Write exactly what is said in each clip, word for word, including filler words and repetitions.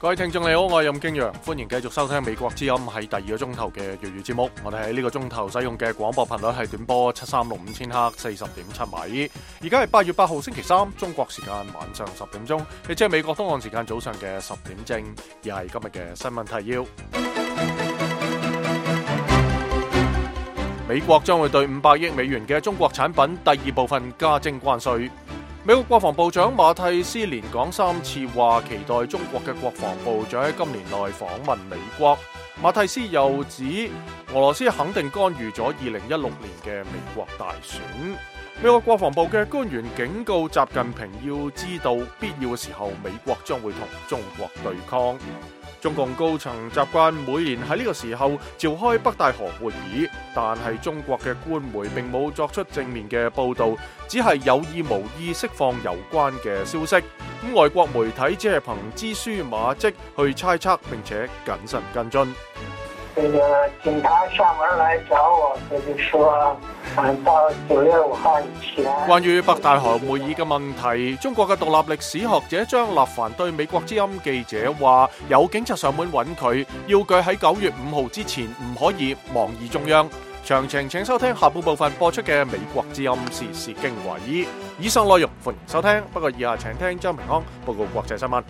各位聽眾你好，我係任敬陽，歡迎繼續收聽美國之音喺第二個鐘頭嘅粵語節目。我哋喺呢個鐘頭使用嘅廣播頻率係短波七三六五千赫四十點七米。而家係八月八號星期三，中國時間晚上十點鐘，亦即係美國東岸時間早上嘅十點正。而係今日嘅新聞提要：美國將會對五百億美元嘅中國產品第二部分加徵關稅。美國國防部長馬蒂斯連講三次話，期待中國嘅國防部長喺今年內訪問美國。馬蒂斯又指俄羅斯肯定干預咗二零一六年嘅美國大選。美國國防部嘅官員警告習近平要知道，必要嘅時候美國將會同中國對抗。中共高層習慣每年喺呢個時候召開北戴河會議，但係中國嘅官媒並冇作出正面嘅報導，只係有意無意釋放有關嘅消息。咁外國媒體只係憑蛛絲馬跡去猜測並且謹慎跟進。這個警察上門來找我，他就說到九月五號以前。關於北戴河會議嘅問題，中國嘅獨立歷史學者張立凡對美國之音記者話：有警察上門揾佢，要佢喺九月五號之前唔可以妄議中央。詳情請收聽下半部分播出嘅美國之音時事經緯。以上內容歡迎收聽，不過以下請聽張平安報告國際新聞。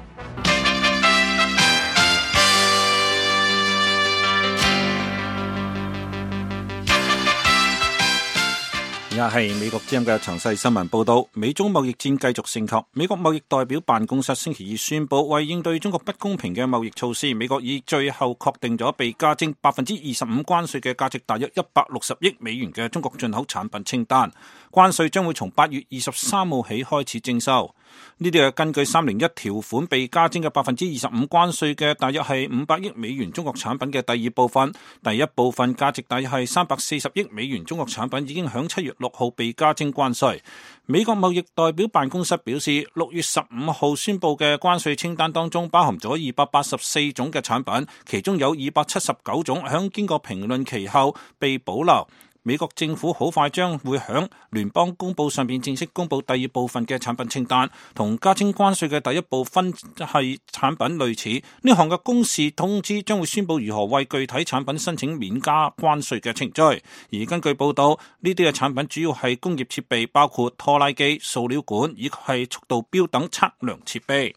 而家係美國之音嘅詳細新聞報道。美中貿易戰繼續升級。美國貿易代表辦公室星期二宣布，為應對中國不公平嘅貿易措施，美國已最後確定咗被加徵百分之二十五關稅嘅價值大約一百六十億美元嘅中國進口產品清單。關稅將會從八月二十三號起開始徵收。呢啲係根據三零一條款被加徵嘅百分之二十五關稅嘅大約係五百億美元中國產品嘅第二部分。第一部分價值大約係三百四十億美元中國產品已經響七月六號被加徵關稅。美國貿易代表辦公室表示，六月十五號宣布嘅關稅清單當中包含咗二百八十四種嘅產品，其中有二百七十九種響經過評論期後被保留。美國政府好快將會響聯邦公報上邊正式公布第二部分嘅產品清單，同加徵關稅嘅第一部分係產品類似。呢項嘅公示通知將會宣布如何為具體產品申請免加關稅嘅程序。而根據報道，呢啲嘅產品主要係工業設備，包括拖拉機、塑料管以及係速度錶等測量設備。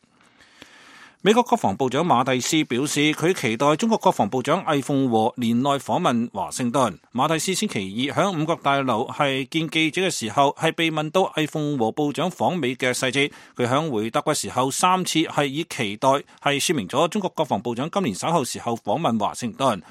美國國防部長馬蒂斯表示，佢期待中國國防部長魏鳳和年內訪問華盛頓。馬蒂斯星期二響五角大樓係見記者嘅時候，係被問到魏鳳和部長訪美嘅細節，佢響回答嘅時候三次係以期待係說明咗中國國防部長今年稍後時候訪問華盛頓。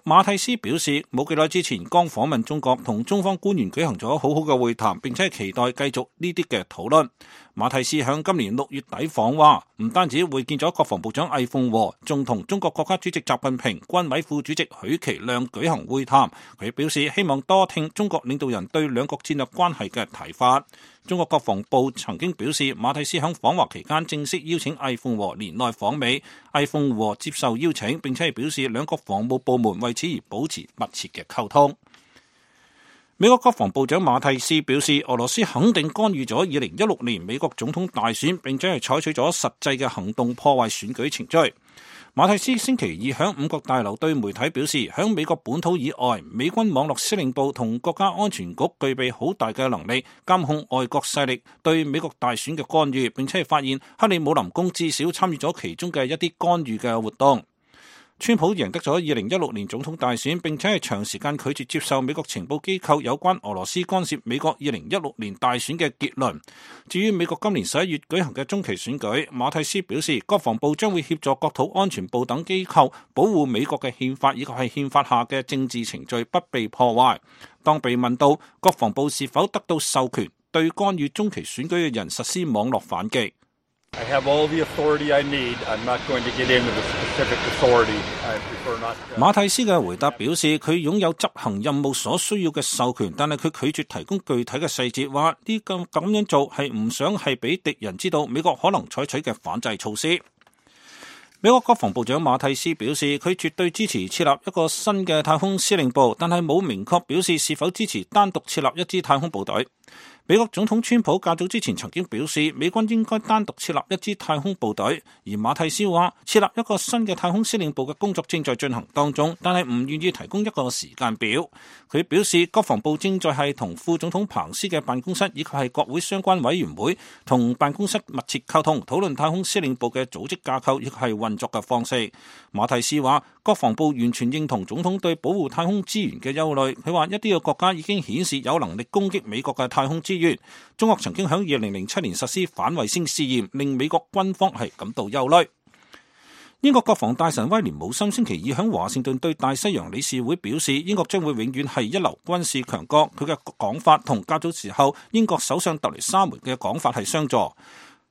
馬蒂斯表示，冇幾耐之前剛訪問中國，同中方官員舉行咗好好嘅會談，並且期待繼續呢啲嘅討論。馬蒂斯向今年六月底訪華，唔單止會見咗國防部長魏鳳和，仲同中國國家主席習近平、軍委副主席許其亮舉行會談。佢表示希望多聽中國領導人對兩國戰略關係嘅睇法。中國國防部曾經表示，馬蒂斯響訪華期間正式邀請魏鳳和年內訪美，魏鳳和接受邀請，並且係表示兩國防務部門為此而保持密切嘅溝通。美國國防部長馬蒂斯表示，俄羅斯肯定干預咗二零一六年美國總統大選，並且係採取咗實際嘅行動破壞選舉程序。馬蒂斯星期二響五角大樓對媒體表示，響美國本土以外，美軍網絡司令部同國家安全局具備好大嘅能力監控外國勢力對美國大選嘅干預，並且係發現克里姆林宮至少參與咗其中嘅一啲干預嘅活動。川普贏得咗二零一六年總統大選，並且係長時間拒絕接受美國情報機構有關俄羅斯干涉美國二零一六年大選嘅結論。至於美國今年十一月舉行嘅中期選舉，馬蒂斯表示，國防部將會協助國土安全部等機構保護美國嘅憲法以及係憲法下嘅政治程序不被破壞。當被問到國防部是否得到授權對干預中期選舉嘅人實施網絡反擊，I have all the authority I need. I'm not going to get into the specific authority. I prefer not to. 馬蒂斯嘅回答表示，佢擁有執行任務所需要嘅授權，但係佢拒絕提供具體嘅細節，話呢個咁樣做係唔想係俾敵人知道美國可能採取嘅反制措施。美國國防部長馬蒂斯表示，佢絕對支持設立一個新嘅太空司令部，但係冇明確表示是否支持單獨設立一支太空部隊。美國總統川普較早之前曾經表示，美軍應該單獨設立一支太空部隊，而馬蒂斯話設立一個新嘅太空司令部嘅工作正在進行當中，但係唔願意提供一個時間表。佢表示，國防部正在係同副總統彭斯嘅辦公室以及係國會相關委員會同辦公室密切溝通，討論太空司令部嘅組織架構以及係運作嘅方式。馬蒂斯話，國防部完全認同總統對保護太空資源嘅憂慮。佢話一啲嘅國家已經顯示有能力攻擊美國嘅太空資源。中國曾經喺二零零七年實施反衛星試驗，令美國軍方係感到憂慮。英國國防大臣威廉姆森星期二喺華盛頓對大西洋理事會表示，英國將會永遠係一流軍事強國。佢嘅講法同較早時候英國首相特雷莎梅嘅講法係相左。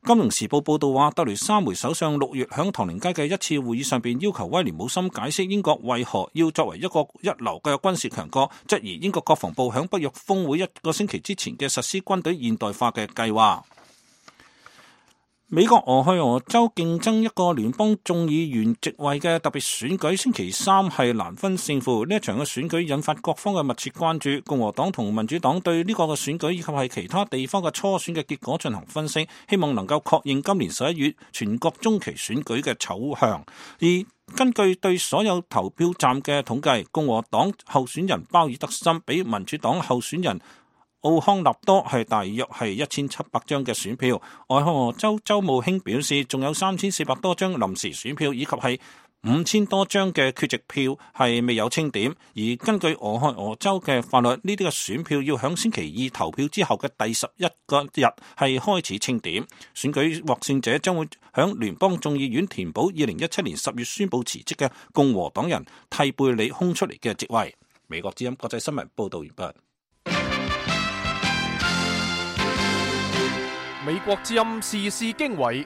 金融時報報道話，特雷莎梅首相六月喺唐寧街嘅一次會議上邊要求威廉姆森解釋英國為何要作為一個一流嘅軍事強國，質疑英國國防部喺北約峰會一個星期之前嘅實施軍隊現代化嘅計劃。美國俄亥俄州競爭一個聯邦眾議員席位嘅特別選舉，星期三係難分勝負。呢一場嘅選舉引發各方嘅密切關注。共和黨同民主黨對呢個嘅選舉以及係其他地方嘅初選嘅結果進行分析，希望能夠確認今年十一月全國中期選舉嘅走向。而根據對所有投票站嘅統計，共和黨候選人鮑爾德森比民主黨候選人奧康納多係大約係一千七百張嘅選票。俄亥俄州州務卿表示，仲有三千四百多張臨時選票，以及係五千多張嘅缺席票係未有清點。而根據俄亥俄州嘅法律，呢啲嘅選票要響星期二投票之後嘅第十一個日係開始清點。選舉獲勝者將會響聯邦眾議院填補二零一七年十月宣布辭職嘅共和黨人蒂貝里空出嚟嘅職位。美國之音國際新聞報道完畢。美國之音時事經緯，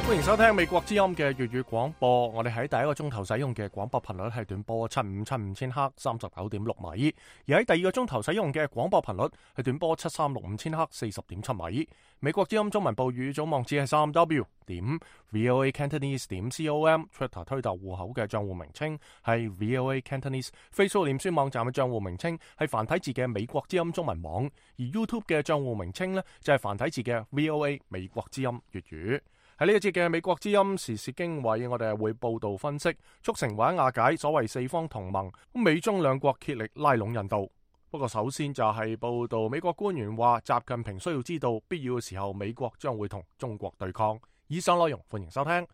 歡迎收聽美國之音嘅粵語廣播。我哋喺第一個鐘頭使用嘅廣播頻率係短波七五七五千赫三十九點六米，而喺第二個鐘頭使用嘅廣播頻率係短波七三六五千赫四十點七米。美國之音中文部語組網址係三 w 點 voa cantonese 點 com，Twitter 推特戶口嘅賬戶名稱係 voa cantonese，Facebook 臉書網站嘅賬戶名稱係繁體字嘅美國之音中文網，而 YouTube 嘅賬戶名稱呢就係繁體字嘅 voa 美國之音粵語。喺呢一節嘅美國之音時事經緯，我哋係會報道分析促成或者瓦解所謂四方同盟，美中兩國竭力拉攏印度。不過首先就係報道美國官員話，習近平需要知道必要嘅時候，美國將會同中國對抗。以上內容歡迎收聽。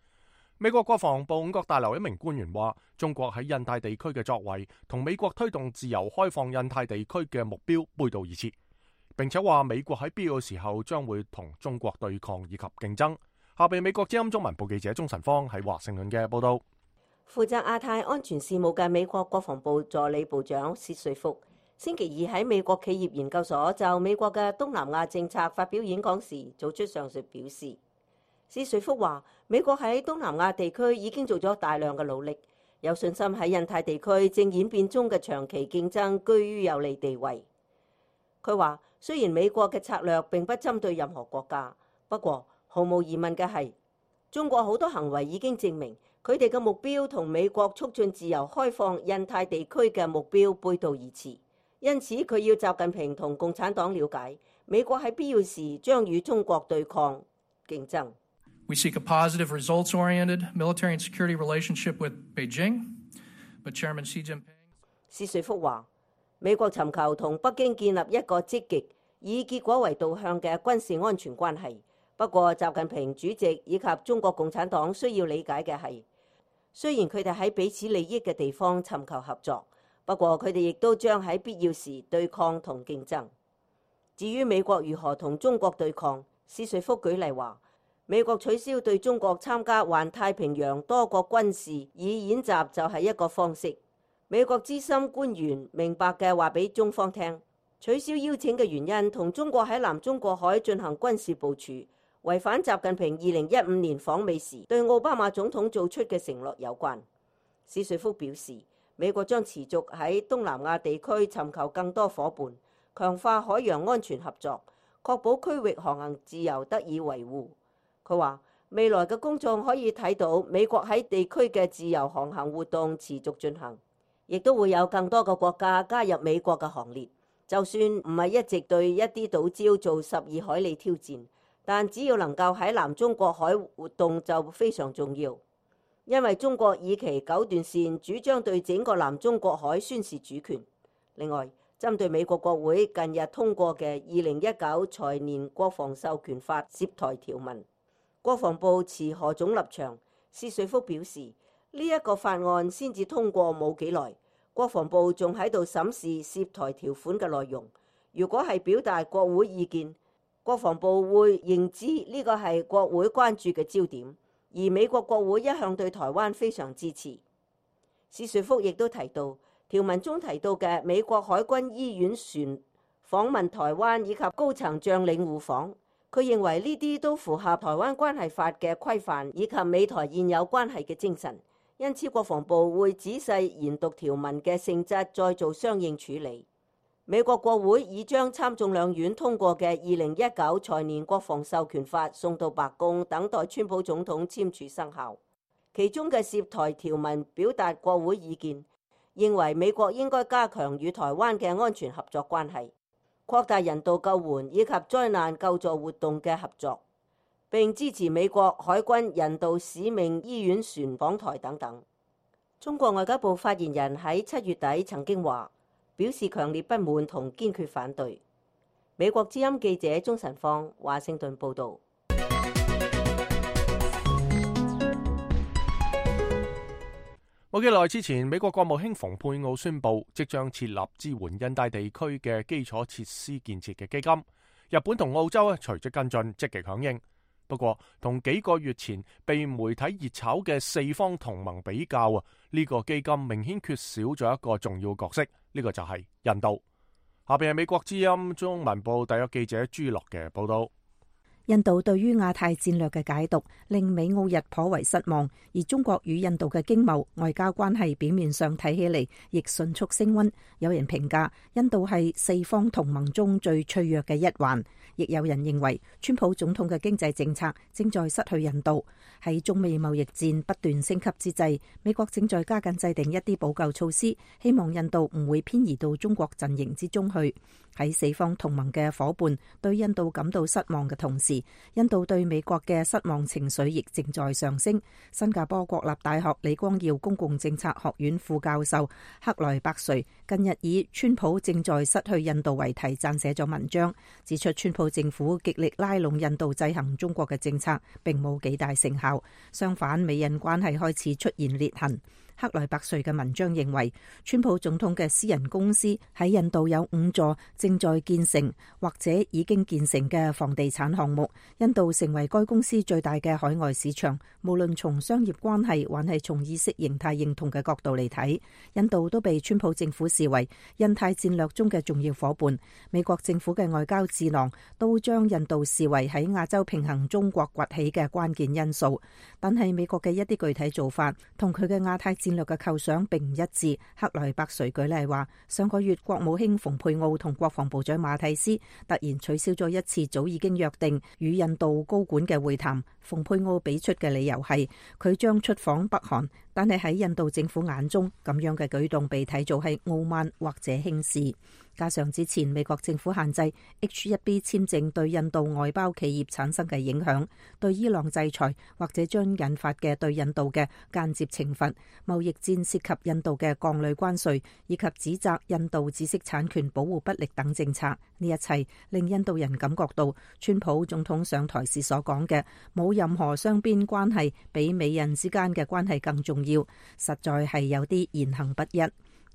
美國國防部五角大樓一名官員話，中國喺印太地區嘅作為同美國推動自由開放印太地區嘅目標背道而馳，並且話美國喺必要嘅時候將會同中國對抗以及競爭。下邊美國之音中文部記者鍾晨芳喺華盛頓嘅報道。負責亞太安全事務嘅美國國防部助理部長薛瑞福星期二喺美國企業研究所就美國嘅東南亞政策發表演講時，做出上述表示。薛瑞福話，美國喺東南亞地區已經做咗大量嘅努力，有信心喺印太地區正演變中嘅長期競爭居於有利地位。佢話，雖然美國嘅策略並不針對任何國家，不過毫無疑問嘅係，中國好多行為已經證明佢哋嘅目標同美國促進自由開放印太地區嘅目標背道而馳。因此，佢要習近平同共產黨了解，美國喺必要時將與中國對抗競爭。We seek a positive, results-oriented military and security relationship with Beijing, but Chairman Xi Jinping 薛瑞福話，美國尋求同北京建立一個積極以結果為導向嘅軍事安全關係。不過，習近平主席以及中國共產黨需要理解嘅係，雖然佢哋喺彼此利益嘅地方尋求合作，不過佢哋亦都將喺必要時對抗同競爭。至於美國如何同中國對抗，薛瑞福舉例話，美國取消對中國參加環太平洋多國軍事以演習就係一個方式。美國資深官員明白嘅話俾中方聽，取消邀請嘅原因同中國喺南中國海進行軍事部署，違反習近平二零一五年訪美時對奧巴馬總統做出嘅承諾有關。薛瑞福表示，美國將持續喺東南亞地區尋求更多夥伴，強化海洋安全合作，確保區域航行自由得以維護。佢話，未來嘅公眾可以睇到美國喺地區嘅自由航行活動持續進行，亦都會有更多嘅國家加入美國嘅行列，就算唔係一直對一啲島礁做十二海里挑戰，但只要能夠喺南中國海活動就非常重要，因為中國以其九段線主張對整個南中國海宣示主權。另外，針對美國國會近日通過嘅二零一九財年國防授權法涉台條文，國防部持何種立場？施瑞福表示，呢一個法案先至通過冇幾耐，國防部仲喺度審視涉台條款嘅內容。如果係表達國會意見，國防部會認知呢個係國會關注嘅焦點，而美國國會一向對台灣非常支持。施瑞福亦都提到，條文中提到嘅美國海軍醫院船訪問台灣以及高層將領互訪，佢認為呢啲都符合台灣關係法嘅規範以及美台現有關係嘅精神，因此國防部會仔細研讀條文嘅性質，再做相應處理。美國國會已將參眾兩院通過嘅二零一九財年國防授權法送到白宮，等待川普總統簽署生效。其中嘅涉台條文表達國會意見，認為美國應該加強與台灣嘅安全合作關係，擴大人道救援以及災難救助活動嘅合作，並支持美國海軍人道使命醫院船訪台等等。中國外交部發言人喺七月底曾經話，表示強烈不滿同堅決反對。美國之音記者鍾晨芳華盛頓報導。冇幾耐之前，美國國務卿蓬佩奧宣布，即將設立支援印太地區嘅基礎設施建設嘅基金。日本同澳洲咧隨即跟進，積極響應。不過，同幾個月前被媒體熱炒嘅四方同盟比較啊，呢個基金明顯缺少咗一個重要角色，呢個就係印度。下邊係美國之音中文部特約記者朱樂嘅報道。印度對於亞太戰略嘅解讀令美澳日頗為失望，而中國與印度嘅經貿外交關係表面上睇起嚟亦迅速升溫。有人評價印度係四方同盟中最脆弱嘅一環，亦有人認為川普總統嘅經濟政策正在失去印度。喺中美貿易戰不斷升級之際，美國正在加緊制定一啲補救措施，希望印度唔會偏移到中國陣營之中去。喺四方同盟嘅夥伴對印度感到失望嘅同時，印度對美國嘅失望情緒亦正在上升。新加坡國立大學李光耀公共政策學院副教授克萊伯瑞近日以川普正在失去印度為題撰寫咗文章，指出川普政府極力拉攏印度制衡中國嘅政策並冇幾大成效，相反美印關係開始出現裂痕。克萊伯瑞嘅文章認為，川普總統嘅私人公司喺印度有五座正在建成或者已經建成嘅房地產項目，印度成為該公司最大嘅海外市場。無論從商業關係還係從意識形態認同嘅角度嚟睇，印度都被川普政府視為印太戰略中嘅重要夥伴。美國政府嘅外交智囊都將印度視為喺亞洲平衡中國崛起嘅關鍵因素，但係美國嘅一啲具體做法同佢嘅亞太戰略嘅構想並唔一致。克萊伯瑞舉例話，上個月國務卿蓬佩奧同國防部長馬蒂斯突然取消咗一次早已經約定與印度高管嘅會談。蓬佩奧俾出嘅理由係佢將出訪北韓，但係喺印度政府眼中，咁樣嘅舉動被睇做係傲慢或者輕視。加上之前美國政府限制 H 一 B 簽證對印度外包企業產生嘅影響，對伊朗制裁或者將引發嘅對印度嘅間接懲罰，貿易戰涉及印度嘅鋼鋁關稅，以及指責印度知識產權保護不力等政策，呢一切令印度人感覺到川普總統上台時所講嘅冇任何雙邊關係比美印之間嘅關係更重要，實在係有啲言行不一。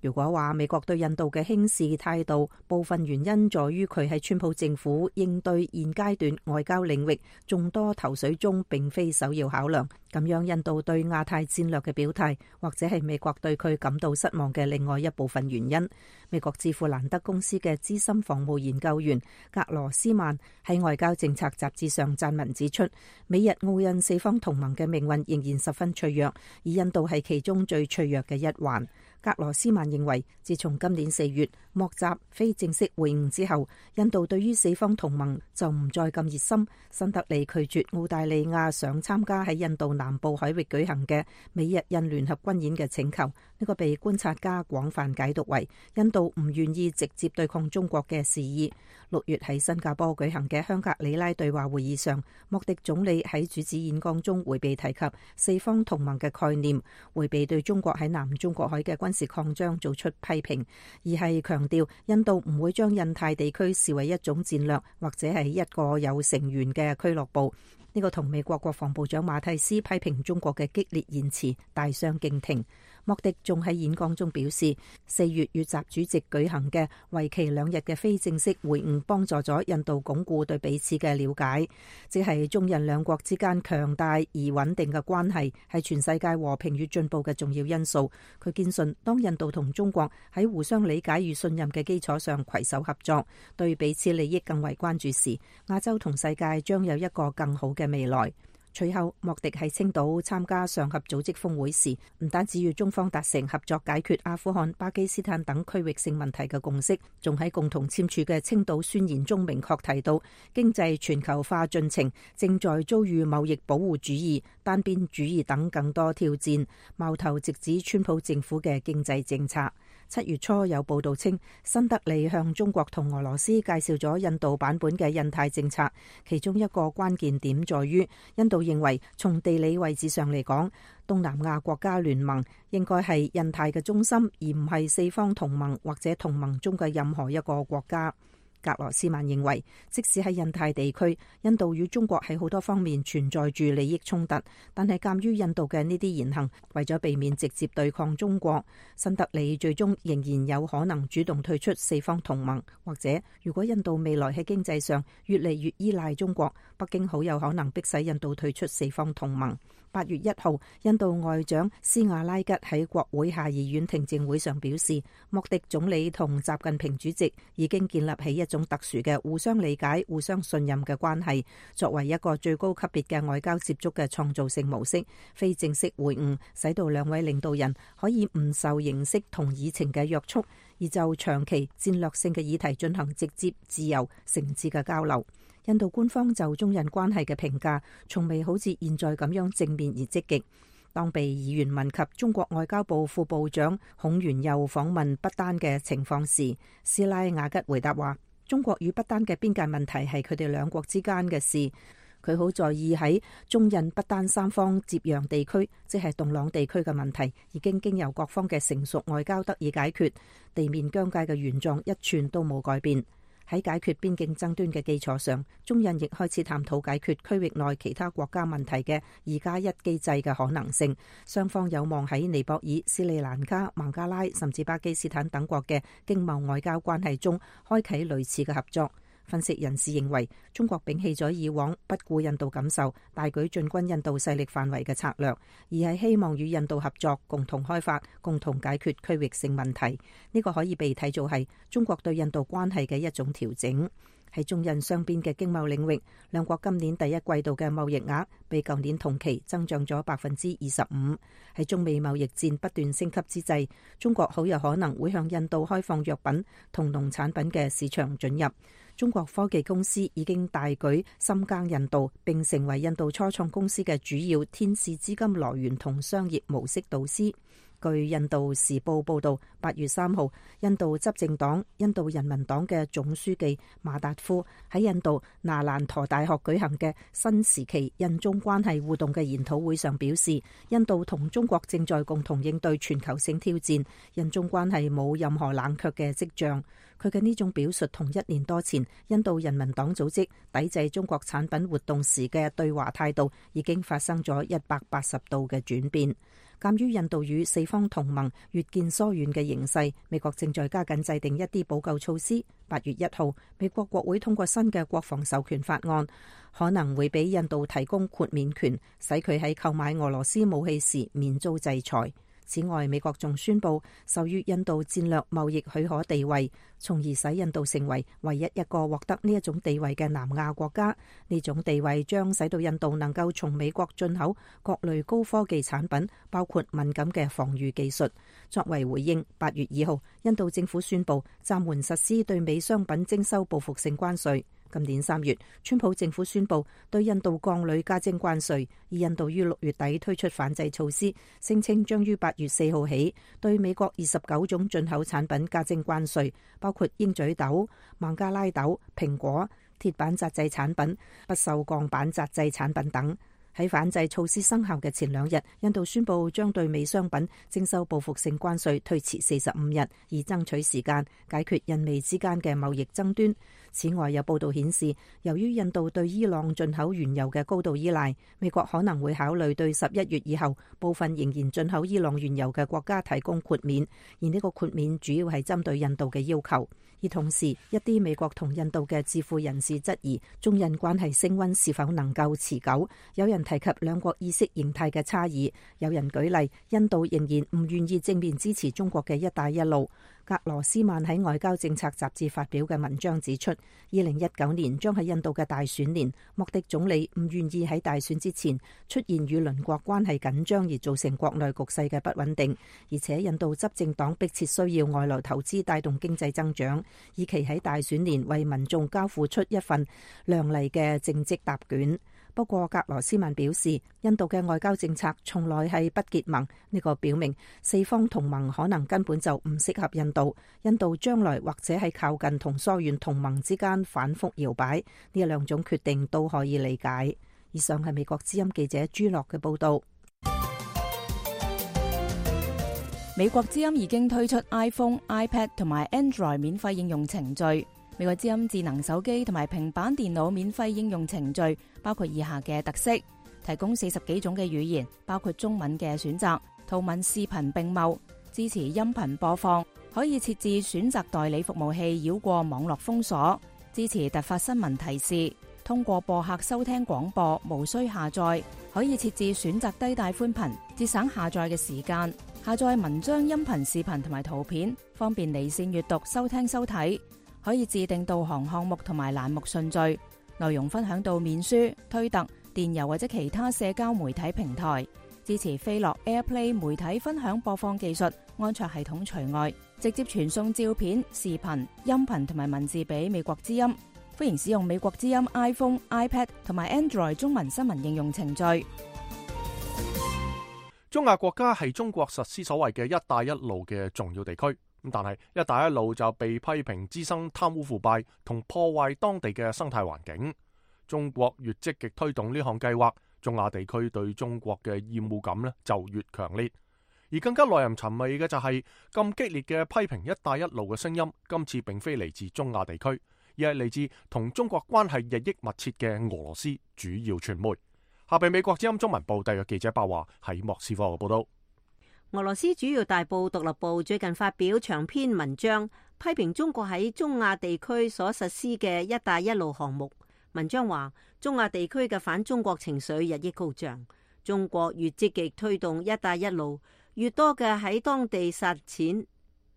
如果話美國對印度嘅輕視態度，部分原因在於佢喺川普政府應對現階段外交領域眾多頭緒中並非首要考量，咁樣印度對亞太戰略嘅表態，或者係美國對佢感到失望嘅另外一部分原因。美國智庫蘭德公司嘅資深防務研究員格羅斯曼喺外交政策雜誌上撰文指出，美日澳印四方同盟嘅命運仍然十分脆弱，而印度係其中最脆弱嘅一環。格羅斯曼認為，自從今年四月莫扎非正式會晤之後，印度對於四方同盟就唔再咁熱心。新德里拒絕澳大利亞想參加喺印度南部海域舉行嘅美日印聯合軍演嘅請求，呢個被觀察家廣泛解讀為印度唔願意直接對抗中國嘅示意。六月喺新加坡舉行嘅香格里拉對話會議上，莫迪總理喺主旨演講中迴避提及四方同盟嘅概念，迴避對中國喺南中國海嘅軍事擴張做出批評，而係強調印度唔會將印太地區視為一種戰略或者係一個有成員嘅俱樂部。呢個同美國國防部長馬蒂斯批評中國嘅激烈言辭大相徑庭。莫迪仲喺演講中表示，四月與習主席舉行嘅為期兩日嘅非正式會晤，幫助咗印度鞏固對彼此嘅了解，即係中印兩國之間強大而穩定嘅關係，係全世界和平與進步嘅重要因素。佢堅信，當印度同中國喺互相理解與信任嘅基礎上攜手合作，對彼此利益更為關注時，亞洲同世界將有一個更好嘅未來。隨後，莫迪喺青島參加上合組織峰會時，唔單止與中方達成合作解決阿富汗、巴基斯坦等區域性問題嘅共識，仲喺共同簽署嘅青島宣言中明確提到，經濟全球化進程正在遭遇貿易保護主義、單邊主義等更多挑戰，矛頭直指川普政府嘅經濟政策。七月初有報道稱，新德里向中國同俄羅斯介紹咗印度版本嘅印太政策，其中一個關鍵點在於，印度認為從地理位置上嚟講，東南亞國家聯盟應該係印太嘅中心，而唔係四方同盟或者同盟中嘅任何一個國家。格羅斯曼認為，即使喺印太地區，印度與中國喺好多方面存在住利益衝突，但係鑑於印度嘅呢啲言行，為咗避免直接對抗中國，新德里最終仍然有可能主動退出四方同盟，或者如果印度未來喺經濟上越嚟越依賴中國，北京好有可能迫使印度退出四方同盟。八月一號，印度外長斯瓦拉吉喺國會下議院聽證會上表示，莫迪總理同習近平主席已經建立起一種特殊嘅互相理解、互相信任嘅關係，作為一個最高級別嘅外交接觸嘅創造性模式。非正式會晤使到兩位領導人可以唔受形式同議程嘅約束，而就長期戰略性嘅議題進行直接、自由、誠摯嘅交流。印度官方就中印關係嘅評價，從未好似現在咁樣正面而積極。當被議員問及中國外交部副部長孔元佑訪問不丹嘅情況時，斯拉雅吉回答話：中國與不丹嘅邊界問題係佢哋兩國之間嘅事。佢好在意喺中印不丹三方接壤地區，即係洞朗地區嘅問題，已經經由各方嘅成熟外交得以解決，地面疆界嘅原狀一寸都冇改變。喺解決邊境爭端嘅基礎上，中印亦開始探討解決區域內其他國家問題嘅二加一機制嘅可能性。雙方有望喺尼泊爾、斯里蘭卡、孟加拉甚至巴基斯坦等國嘅經貿外交關係中開啟類似嘅合作。分析人士認為，中國摒棄咗以往不顧印度感受、大舉進軍印度勢力範圍嘅策略，而係希望與印度合作，共同開發、共同解決區域性問題。呢個可以被睇做係中國對印度關係嘅一種調整。喺中印雙邊嘅經貿領域，兩國今年第一季度嘅貿易額比舊年同期增長咗百分之二十五。喺中美貿易戰不斷升級之際，中國好有可能會向印度開放藥品同農產品嘅市場准入。中國科技公司已經大舉深耕印度，並成為印度初創公司嘅主要天使資金來源同商業模式導師。據印度時報報道，八月三號，印度執政黨印度人民黨嘅總書記馬達夫喺印度那蘭陀大學舉行嘅新時期印中關係互動嘅研討會上表示，印度同中國正在共同應對全球性挑戰，印中關係冇任何冷卻嘅跡象。佢嘅呢種表述同一年多前印度人民黨組織抵制中國產品活動時嘅對華態度已經發生咗一百八十度嘅轉變。鑑於印度與四方同盟越見疏遠嘅形勢，美國正在加緊制定一啲補救措施。八月一號，美國國會通過新嘅國防授權法案，可能會俾印度提供豁免權，使佢喺購買俄羅斯武器時免遭制裁。此外，美國仲宣布授予印度戰略貿易許可地位，從而使印度成為唯一一個獲得呢一種地位嘅南亞國家。呢種地位將使到印度能夠從美國進口各類高科技產品，包括敏感嘅防禦技術。作為回應，八月二號，印度政府宣布暫緩實施對美商品徵收報復性關稅。今年三月，川普政府宣布對印度鋼鋁加徵關稅，而印度於六月底推出反制措施，聲稱將於八月四號起對美國二十九種進口產品加徵關稅，包括鷹嘴豆、孟加拉豆、蘋果、鐵板紮製產品、不鏽鋼板紮製產品等。喺反制措施生效嘅前兩日，印度宣布將對美商品徵收報復性關稅推遲四十五日，以爭取時間解決印美之間嘅貿易爭端。此外，有報道顯示，由於印度對伊朗進口原油嘅高度依賴，美國可能會考慮對十一月以後部分仍然進口伊朗原油嘅國家提供豁免，而呢個豁免主要係針對印度嘅要求。而同時，一啲美國同印度嘅智庫人士質疑中印關係升溫是否能夠持久。有人提及兩國意識形態嘅差異，有人舉例印度仍然唔願意正面支持中國嘅一帶一路。格羅斯曼喺外交政策雜誌發表嘅文章指出，二零一九年將係印度嘅大選年，莫迪總理唔願意喺大選之前出現與鄰國關係緊張而造成國內局勢嘅不穩定，而且印度執政黨迫切需要外來投資帶動經濟增長，以期喺大選年為民眾交付出一份亮麗嘅政績答卷。不過，格羅斯曼表示，印度嘅外交政策從來係不結盟，呢個表明四方同盟可能根本就唔適合印度。印度將來或者係靠近同疏遠同盟之間反覆搖擺，呢兩種決定都可以理解。以上係美國之音記者朱樂嘅報道。美國之音已經推出 iPhone、iPad 同埋 Android 免費應用程序。美國之音智能手機同埋平板電腦免費應用程序包括以下嘅特色：提供四十幾種嘅語言，包括中文嘅選擇，圖文視頻並茂，支持音頻播放，可以設置選擇代理服務器繞過網絡封鎖，支持突發新聞提示，通過播客收聽廣播，無需下載，可以設置選擇低帶寬頻，節省下載嘅時間，下載文章、音頻、視頻同埋圖片，方便離線閱讀、收聽收睇。可以自定導航項目同埋欄目順序，內容分享到面書、推特、電郵或者其他社交媒體平台，支持飛樂 AirPlay 媒體分享播放技術，安卓系統除外，直接傳送照片、視頻、音頻同埋文字俾美國之音。歡迎使用美國之音 iPhone、iPad 同埋 Android 中文新聞應用程序。中亞國家係中國實施所謂嘅一帶一路嘅重要地區。咁但係一帶一路就被批評滋生貪污腐敗同破壞當地嘅生態環境。中國越積極推動呢項計劃，中亞地區對中國嘅厭惡感呢就越強烈。而更加耐人尋味嘅就係咁激烈嘅批評一帶一路嘅聲音，今次並非嚟自中亞地區，而係嚟自同中國關係日益密切嘅俄羅斯主要傳媒。下邊美國之音中文部特約記者白華喺莫斯科嘅報道。俄羅斯主要大報獨立報最近發表長篇文章，批評中國喺中亞地區所實施嘅一帶一路項目。文章話，中亞地區嘅反中國情緒日益高漲，中國越積極推動一帶一路，越多嘅喺當地撒錢，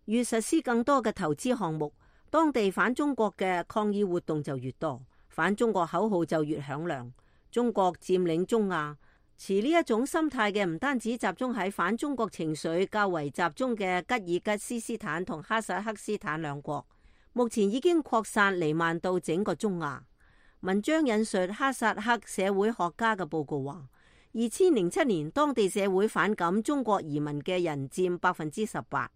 越實施更多嘅投資項目，當地反中國嘅抗議活動就越多，反中國口號就越響亮。中國佔領中亞，持呢一種心態嘅唔單止集中喺反中國情緒較為集中嘅吉爾吉斯斯坦同哈薩克斯坦兩國，目前已經擴散彌漫到整個中亞。文章引述哈薩克社會學家嘅報告話，二千零七年當地社會反感中國移民嘅人佔百分之十八，二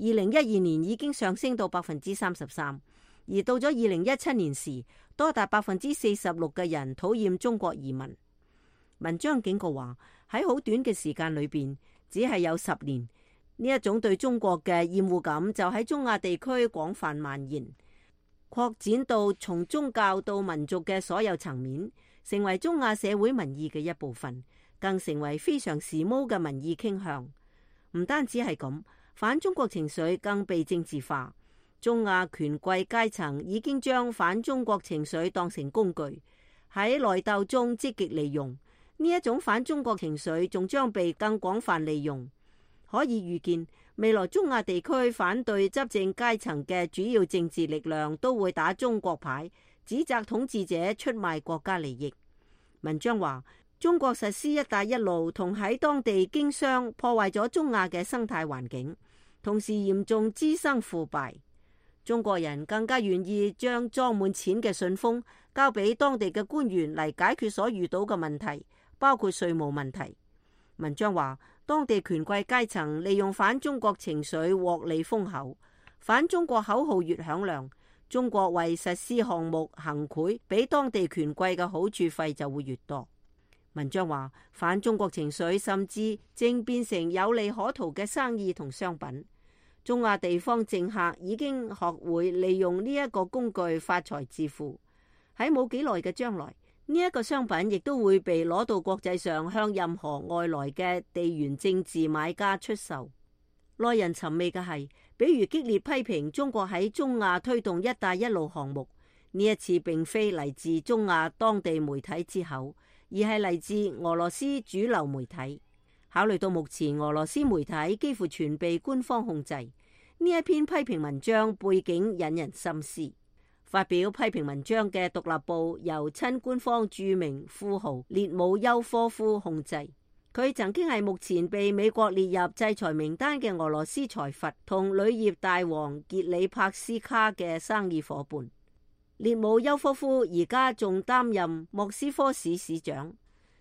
零一二年已經上升到百分之三十三，而到咗二零一七年時，多達百分之四十六嘅人討厭中國移民。文章警告話，喺好短嘅時間裏邊，只係有十年，呢一種對中國嘅厭惡感就喺中亞地區廣泛蔓延，擴展到從宗教到民族嘅所有層面，成為中亞社會民意嘅一部分，更成為非常時髦嘅民意傾向。唔單止係咁，反中國情緒更被政治化。中亞權貴階層已經將反中國情緒當成工具，喺內鬥中積極利用。呢一種反中國情緒仲將被更廣泛利用，可以預見，未來中亞地區反對執政階層嘅主要政治力量都會打中國牌，指責統治者出賣國家利益。文章話，中國實施一帶一路同喺當地經商，破壞咗中亞嘅生態環境，同時嚴重滋生腐敗。中國人更加願意將裝滿錢嘅信封交俾當地嘅官員嚟解決所遇到嘅問題，包括稅務問題。文章話，當地權貴階層利用反中國情緒獲利豐厚，反中國口號越響亮，中國為實施項目行賄俾當地權貴嘅好處費就會越多。文章話，反中國情緒甚至正變成有利可圖嘅生意同商品。中亞地方政客已經學會利用呢一個工具發財致富。喺冇幾耐嘅將來，呢一個商品亦都會被攞到國際上向任何外來嘅地緣政治買家出售。耐人尋味嘅係，比如激烈批評中國喺中亞推動一帶一路項目，呢一次並非嚟自中亞當地媒體之口，而係嚟自俄羅斯主流媒體。考慮到目前俄羅斯媒體幾乎全被官方控制，呢一篇批評文章背景引人深思。發表批評文章嘅獨立報由親官方著名富豪列姆丘科夫控制，佢曾經係目前被美國列入制裁名單嘅俄羅斯財閥同鋁業大王傑里帕斯卡嘅生意夥伴。列姆丘科夫而家仲擔任莫斯科市市長。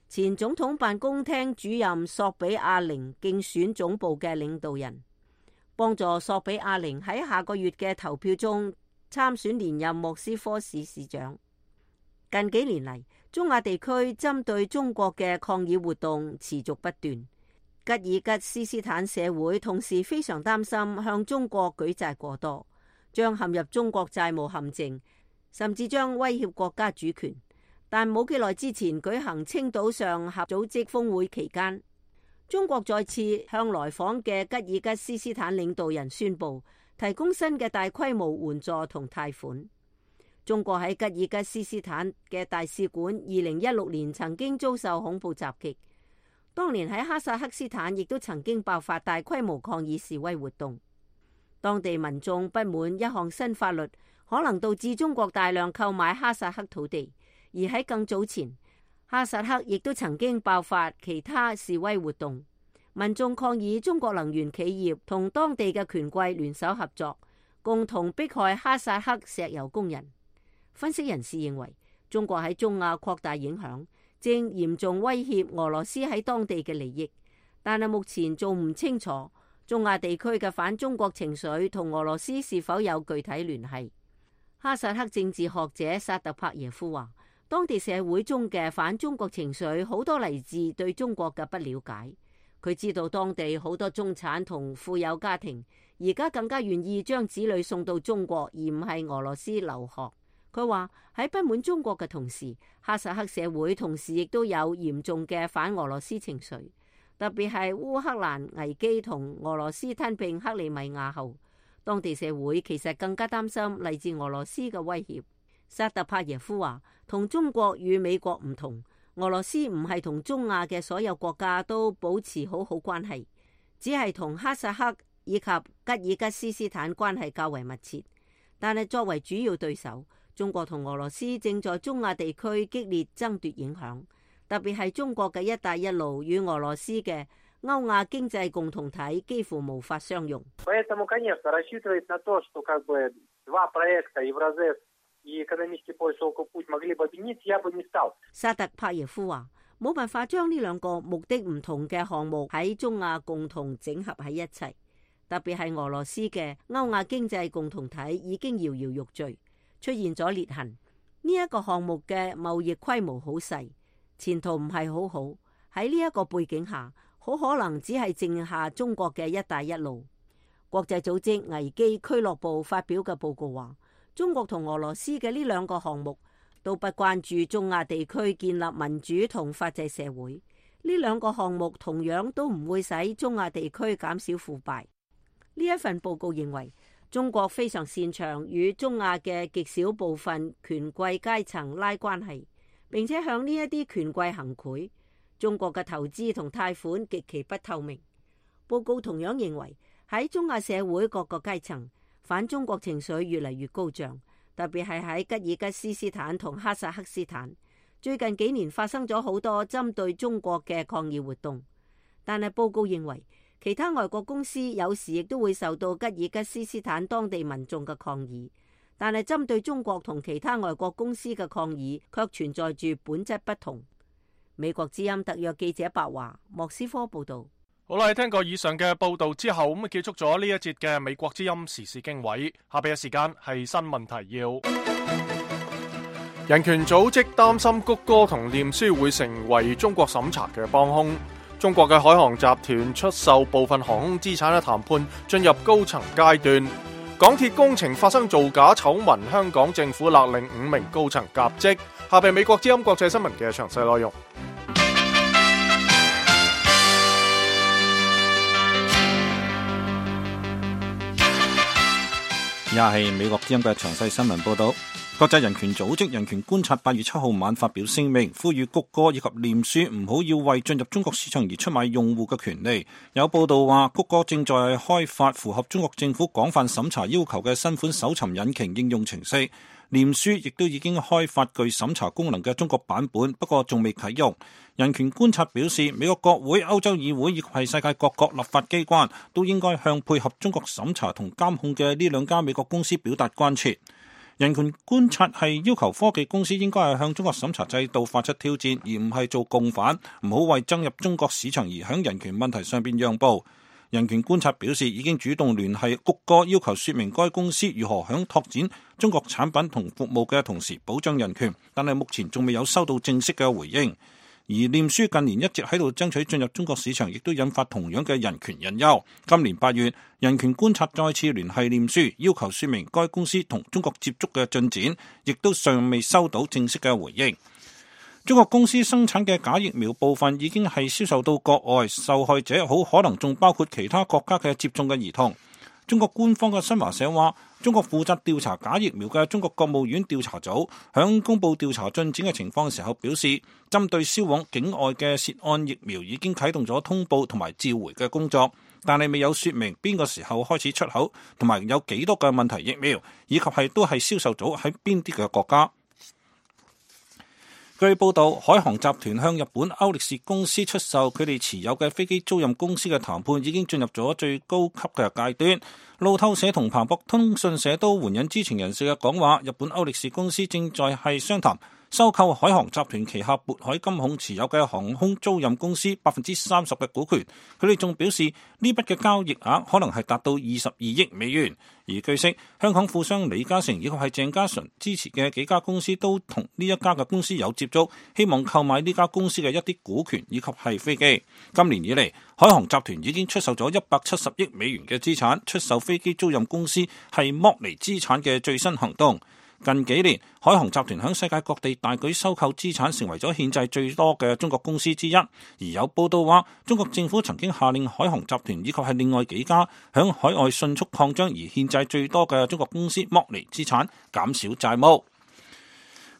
前總統辦公廳主任索比亞寧競選總部嘅領導人，幫助索比亞寧喺下個月嘅投票中參選連任莫斯科市市長。近幾年嚟，中亞地區針對中國嘅抗議活動持續不斷。吉爾吉斯斯坦社會同時非常擔心向中國舉債過多，將陷入中國債務陷阱，甚至將威脅國家主權。但冇幾耐之前舉行青島上合組織峰會期間，中國再次向來訪嘅吉爾吉斯斯坦領導人宣布提供新嘅大規模援助同貸款。中國喺吉爾吉斯斯坦嘅大使館二零一六年曾經遭受恐怖襲擊，當年喺哈薩克斯坦亦都曾經爆發大規模抗議示威活動。當地民眾不滿一項新法律可能導致中國大量購買哈薩克土地。而喺更早前，哈薩克亦都曾經爆發其他示威活動，民眾抗議中國能源企業同當地嘅權貴聯手合作，共同迫害哈薩克石油工人。分析人士認為，中國喺中亞擴大影響，正嚴重威脅俄羅斯喺當地嘅利益，但係目前仲唔清楚中亞地區嘅反中國情緒同俄羅斯是否有具體聯繫。哈薩克政治學者薩特帕耶夫話，當地社會中嘅反中國情緒好多嚟自對中國嘅不了解。佢知道當地好多中產同富有家庭而家更加願意將子女送到中國，而唔係俄羅斯留學。佢話喺不滿中國嘅同時，哈薩克社會同時亦都有嚴重嘅反俄羅斯情緒，特別係烏克蘭危機同俄羅斯吞併克里米亞後，當地社會其實更加擔心嚟自俄羅斯嘅威脅。薩特帕耶夫話，同中國與美國唔同，俄羅斯唔係同中亞嘅所有國家都保持好好關係，只係同哈薩克以及吉爾吉斯斯坦關係較為密切。但係作為主要對手，中國同俄羅斯正在中亞地區激烈爭奪影響，特別係中國嘅一帶一路與俄羅斯嘅歐亞經濟共同體幾乎無法相容。薩特帕耶夫話，冇辦法將呢兩個目的唔同嘅項目喺中亞共同整合喺一齊，特別係俄羅斯嘅歐亞經濟共同體已經搖搖欲墜，出現咗裂痕。呢一個項目嘅貿易規模好細，前途唔係好好。喺呢一個背景下，好可能只係剩下中國嘅一帶一路。國際組織危機俱樂部發表嘅報告話，中國同俄羅斯嘅呢兩個項目都不關注中亞地區建立民主同法治社會。呢兩個項目同樣都唔會使中亞地區減少腐敗。呢一份報告認為，中國非常擅長與中亞嘅極少部分權貴階層拉關係，並且向呢一啲權貴行賄。中國嘅投資同貸款極其不透明。報告同樣認為，喺中亞社會各個階層，反中國情緒越嚟越高漲，特別係喺吉爾吉斯斯坦同哈薩克斯坦。最近幾年發生咗好多針對中國嘅抗議活動，但係報告認為，其他外國公司有時亦都會受到吉爾吉斯斯坦當地民眾嘅抗議，但係針對中國同其他外國公司嘅抗議卻存在住本質不同。美國之音特約記者白華莫斯科報道。好啦，聽過以上嘅報道之後，咁結束咗呢一節嘅美國之音時事經緯。下邊嘅時間係新聞提要。人權組織擔心谷歌同臉書會成為中國審查嘅幫兇。中國嘅海航集團出售部分航空資產嘅談判進入高層階段。港鐵工程發生造假醜聞，香港政府勒令五名高層革職。下邊美國之音國際新聞嘅詳細內容。也係美國之音嘅詳細新聞報道。國際人權組織人權觀察八月七號晚發表聲明，呼籲谷歌以及臉書唔好要為進入中國市場而出賣用戶嘅權利。有報道話，谷歌正在開發符合中國政府廣泛審查要求嘅新款搜尋引擎應用程式。臉書亦都已經開發具審查功能嘅中國版本，不過仲未啟用。人權觀察表示，美國國會、歐洲議會以及係世界各國立法機關都應該向配合中國審查同監控嘅呢兩家美國公司表達關切。人權觀察係要求科技公司應該係向中國審查制度發出挑戰，而唔係做共犯，唔好為增入中國市場而喺人權問題上邊讓步。人權觀察表示，已經主動聯繫谷歌，要求說明該公司如何響拓展中國產品同服務嘅同時保障人權，但係目前仲未有收到正式嘅回應。而臉書近年一直喺度爭取進入中國市場，亦都引發同樣嘅人權隱憂。今年八月，人權觀察再次聯繫臉書，要求說明該公司同中國接觸嘅進展，亦都尚未收到正式嘅回應。中國公司生產嘅假疫苗部分已經係銷售到國外，受害者好可能仲包括其他國家嘅接種嘅兒童。中國官方嘅新華社話，中國負責調查假疫苗嘅中國國務院調查組響公布調查進展嘅情況嘅時候表示，針對銷往境外嘅涉案疫苗已經啟動咗通報同埋召回嘅工作，但係未有說明邊個時候開始出口，同埋有幾多嘅問題疫苗，以及係都係銷售組喺邊啲嘅國家。據報道，海航集團向日本歐力士公司出售佢哋持有嘅飛機租賃公司嘅談判已經進入咗最高級嘅階段。路透社同彭博通訊社都援引知情人士嘅講話，日本歐力士公司正在係商談收購海航集團旗下渤海金控持有嘅航空租賃公司百分之三十嘅股權。佢哋仲表示，呢筆嘅交易額可能係達到二十二億美元。而據悉，香港富商李嘉誠以及係鄭家純支持嘅幾家公司都同呢一家嘅公司有接觸，希望購買呢家公司嘅一啲股權以及係飛機。今年以嚟，海航集團已經出售咗一百七十億美元嘅資產，出售飛機租賃公司係剝離資產嘅最新行動。近幾年，海航集團響世界各地大舉收購資產，成為咗憲制最多嘅中國公司之一。而有報道話，中國政府曾經下令海航集團以及係另外幾家響海外迅速擴張而憲制最多嘅中國公司剝離資產，減少債務。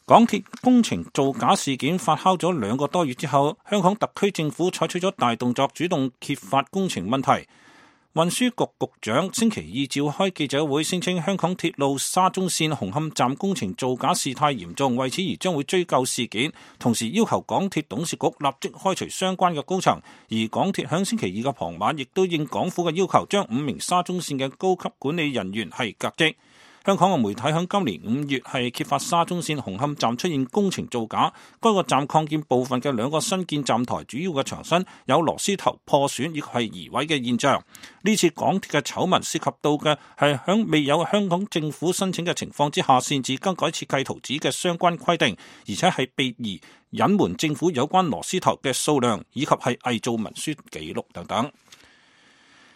港鐵工程造假事件發酵咗兩個多月之後，香港特區政府採取咗大動作，主動揭發工程問題。運輸局局長星期二召開記者會，聲稱香港鐵路沙中線紅磡站工程造假事態嚴重，為此而將會追究事件，同時要求港鐵董事局立即開除相關嘅高層。而港鐵響星期二嘅傍晚，亦都應港府嘅要求，將五名沙中線嘅高級管理人員係革職。香港嘅媒體響今年五月係揭發沙中線紅磡站出現工程造假，該個站擴建部分嘅兩個新建站台主要嘅牆身有螺絲頭破損以及係移位嘅現象。呢次港鐵嘅醜聞涉及到嘅係響未有香港政府申請嘅情況之下，擅自更改設計圖紙嘅相關規定，而且係被疑隱瞞政府有關螺絲頭嘅數量，以及係偽造文書記錄等等。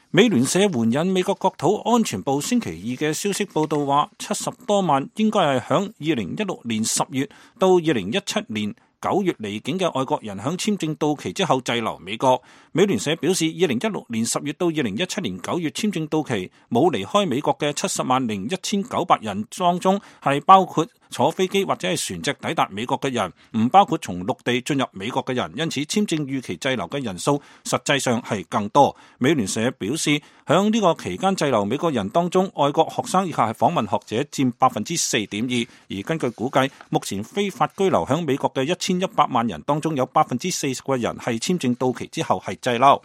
美聯社援引美國國土安全部星期二嘅消息報道話，七十多萬應該係響二零一六年十月到二零一七年九月離境嘅外國人響簽證到期之後滯留美國。美聯社表示，二零一六年十月到二零一七年九月簽證到期冇離開美國嘅七十萬零一千九百人當中，係包括坐飛機或者係船隻抵達美國嘅人，唔包括從陸地進入美國嘅人，因此簽證預期滯留嘅人數實際上係更多。美聯社表示，響呢個期間滯留美國人當中，外國學生以及係訪問學者佔百分之四點二，而根據估計，目前非法居留響美國嘅一千一百萬人當中，有百分之四十嘅人係簽證到期之後係滯留。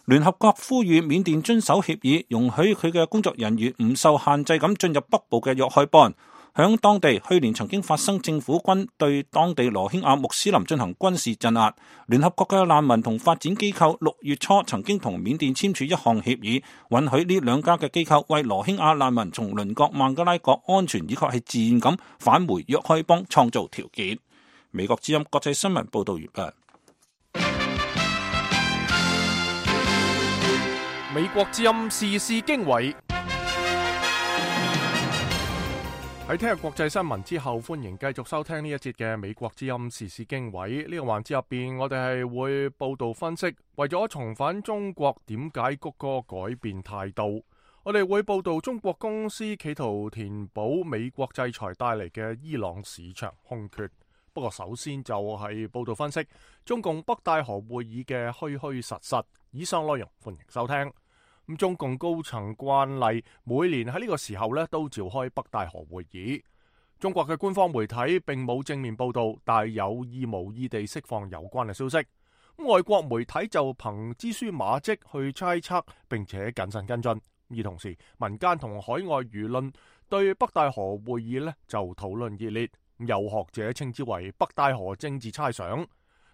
聯合國呼籲緬甸遵守協議，容許佢嘅工作人員唔受限制咁進入北部嘅若開邦。響當地去年曾經發生政府軍對當地羅興亞穆斯林進行軍事鎮壓。聯合國嘅難民同發展機構六月初曾經同緬甸簽署一項協議，允許呢兩家嘅機構為羅興亞難民從鄰國孟加拉國安全以及係自願咁返回若開邦創造條件。美國之音國際新聞報道完畢。美國之音時事經緯，喺聽日國際新聞之後，歡迎繼續收聽呢一節嘅美國之音時事經緯。呢個環節入邊，我哋係會報道分析，為咗重返中國，點解谷歌改變態度？我哋會報道中國公司企圖填補美國制裁帶嚟嘅伊朗市場空缺。不過首先就係報道分析中共北戴河會議嘅虛虛實實。以上內容歡迎收聽。咁中共高層慣例，每年喺呢個時候咧都召開北戴河會議。中國嘅官方媒體並冇正面報道，但係有意無意地釋放有關嘅消息。咁外國媒體就憑蛛絲馬跡去猜測，並且謹慎跟進。而同時，民間同海外輿論對北戴河會議咧就討論熱烈。有學者稱之為北戴河政治猜想。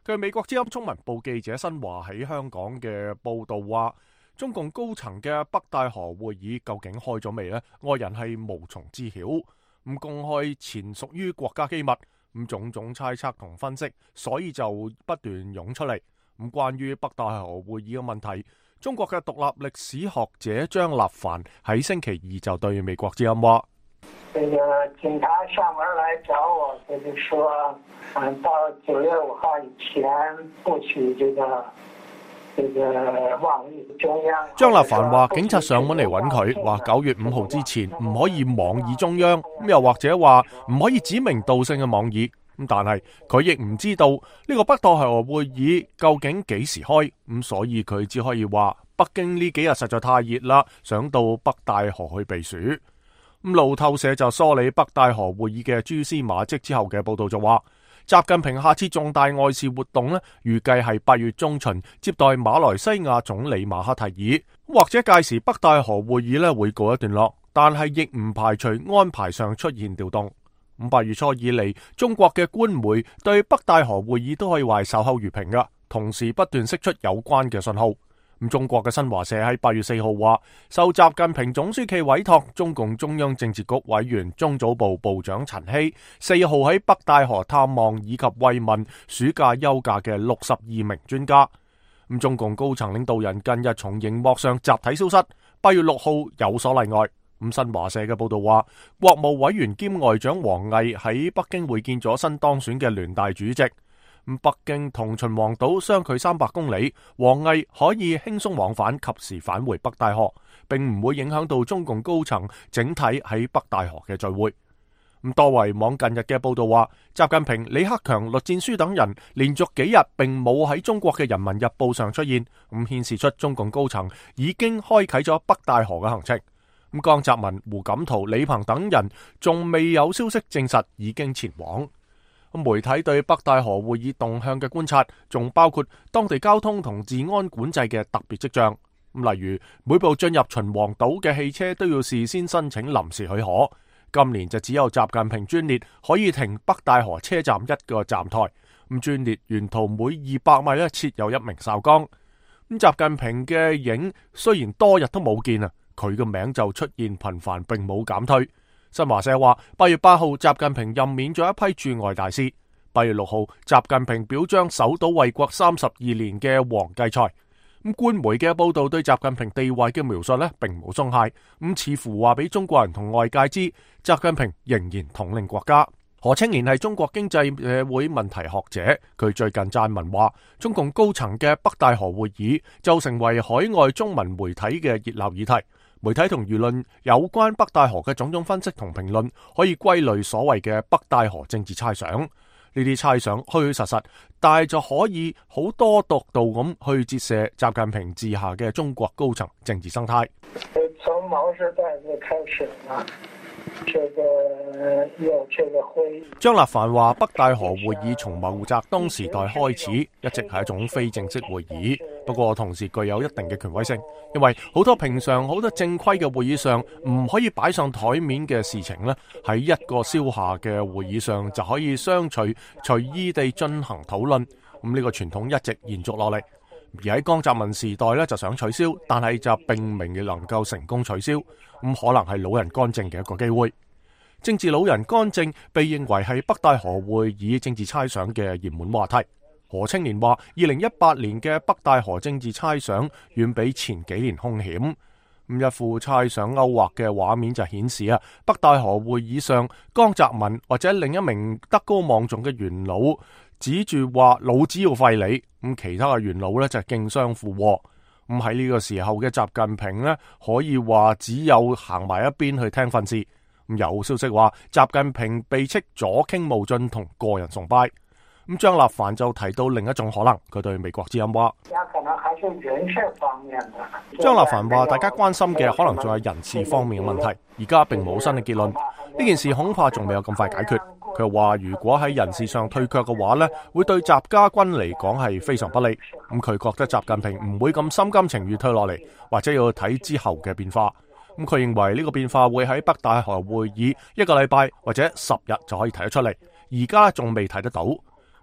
據美國之音中文部記者新華喺香港嘅報道話，中共高層嘅北戴河會議究竟開咗未呢？外人係無從知曉。咁公開前屬於國家機密。咁種種猜測同分析，所以就不斷湧出嚟。咁關於北戴河會議嘅問題，中國嘅獨立歷史學者張立凡喺星期二就對美國之音話：這個警察上門來找我，他就說，嗯，到九月五號以前不許這個這個網易中央。張立凡話，警察上門嚟揾佢，話九月五號之前唔可以網易中央，咁又或者話唔可以指名道姓嘅網易。咁但係佢亦唔知道呢個北戴河會議究竟幾時開，咁所以佢只可以話北京呢幾日實在太熱啦，想到北戴河去避暑。咁路透社就梳理北戴河會議嘅蛛絲馬跡之後嘅報道就話，習近平下次重大外事活動呢，預計係八月中旬接待馬來西亞總理馬哈蒂爾，或者屆時北戴河會議呢會告一段落，但係亦唔排除安排上出現調動。咁八月初以嚟，中國嘅官媒對北戴河會議都可以話守口如瓶噶，同時不斷釋出有關嘅信號。咁中國嘅新華社喺八月四號話，受習近平總書記委託，中共中央政治局委員、中組部部長陳希四號喺北戴河探望以及慰問暑假休假嘅六十二名專家。咁中共高層領導人近日從熒幕上集體消失，八月六號有所例外。咁新華社嘅報道話，國務委員兼外長王毅喺北京會見咗新當選嘅聯大主席。北京同秦皇島相距三百公里，王毅可以輕鬆往返，及時返回北戴河，並唔會影響到中共高層整體喺北戴河嘅聚會。咁多維網近日嘅報道話，習近平、李克強、栗戰書等人連續幾日並冇喺中國嘅人民日報上出現，咁顯示出中共高層已經開啟咗北戴河嘅行程。咁江澤民、胡錦濤、李鵬等人仲未有消息證實已經前往。媒體對北戴河會議動向嘅觀察，仲包括當地交通同治安管制嘅特別跡象。例如，每部進入秦皇島嘅汽車都要事先申請臨時許可。今年就只有習近平專列可以停北戴河車站一個站台。咁專列沿途每二百米咧設有一名哨崗。咁習近平嘅影雖然多日都冇見啊，佢嘅名就出現頻繁，並冇減退。新華社話，八月八號習近平任免咗一批駐外大使。八月六號，習近平表彰守島衛國三十二年嘅黃繼才。咁官媒嘅報道對習近平地位嘅描述呢，並冇鬆懈。咁似乎話俾中國人同外界知，習近平仍然統領國家。何清賢係中國經濟社會問題學者，佢最近撰文話，中共高層嘅北戴河會議就成為海外中文媒體嘅熱鬧議題。媒體同輿論有關北戴河嘅種種分析同評論，可以歸類所謂嘅北戴河政治猜想。呢啲猜想虛虛實實，但係就可以好多角度咁去折射習近平治下嘅中國高層政治生態。從毛時代就開始啦。這個有這個會議。張立凡話：北戴河會議從毛澤東時代開始，一直係一種非正式會議，不過同時具有一定嘅權威性，因為好多平常好多正規嘅會議上唔可以擺上台面嘅事情呢，喺一個消夏嘅會議上就可以相隨隨意地進行討論。咁呢個傳統一直延續落嚟。而喺江澤民時代咧就想取消，但係就並未能夠成功取消，咁可能係老人干政嘅一個機會。政治老人干政被認為係北戴河會議政治猜想嘅熱門話題。何青年話：二零一八年嘅北戴河政治猜想遠比前幾年兇險。咁一副猜想勾畫嘅畫面就顯示啊，北戴河會議上江澤民或者另一名德高望重嘅元老指住話老子要廢你，咁其他嘅元老呢就競相附和。咁喺呢個時候嘅習近平呢，可以話只有行埋一邊去聽訓示。咁有消息話習近平被斥左傾冒進同個人崇拜。咁張立凡就提到另一種可能，佢對美國之音話：可能還是人事方面的。張立凡話：大家關心嘅可能仲係人事方面嘅問題，而家並冇新嘅結論。呢件事恐怕仲未有咁快解決。佢又話：如果喺人事上退卻嘅話呢，會對習家軍嚟講係非常不利。咁佢覺得習近平唔會咁心甘情願退落嚟，或者要睇之後嘅變化。咁佢認為呢個變化會喺北戴河會議一個禮拜或者十日就可以睇得出嚟，而家仲未睇得到。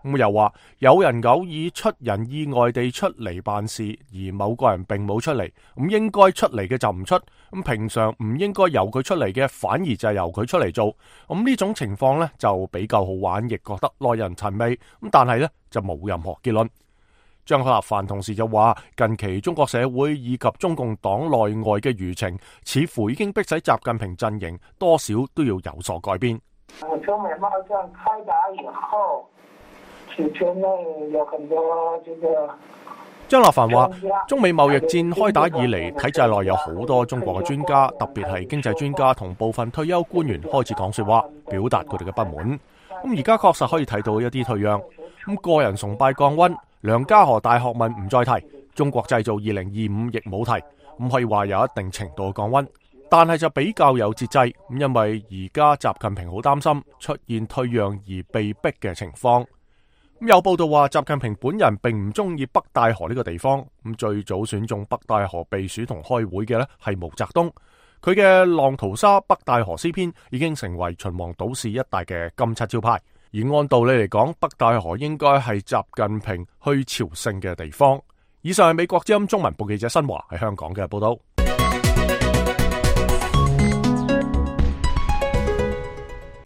咁又話有人偶爾出人意外地出嚟辦事，而某個人並冇出嚟，咁應該出嚟嘅就唔出，咁平常唔應該由佢出嚟嘅，反而就係由佢出嚟做。咁呢種情況呢，就比較好玩，亦覺得耐人尋味。咁但係呢，就冇任何結論。張立凡同時就話，近期中國社會以及中共黨內外嘅輿情，似乎已經迫使習近平陣營多少都要有所改變。中美貿易戰開打以後，其實內有很多這個。張立凡話：中美貿易戰開打以嚟，體制內有好多中國嘅專家，特別係經濟專家同部分退休官員開始講說話，表達佢哋嘅不滿。咁而家確實可以睇到一啲退讓。咁個人崇拜降溫。梁家河大學問唔再提，中國製造二零二五亦冇提，咁可以話有一定程度嘅降溫，但係就比較有節制，咁因為而家習近平好擔心出現退讓而被逼嘅情況。咁有報道話習近平本人並唔中意北戴河呢個地方，咁最早選中北戴河避暑同開會嘅呢係毛澤東，佢嘅浪淘沙北戴河詩篇已經成為秦皇島市一帶嘅金漆招牌。而按道理嚟講，北戴河應該係習近平去朝聖嘅地方。以上係美國之音中文部記者新華喺香港嘅報道。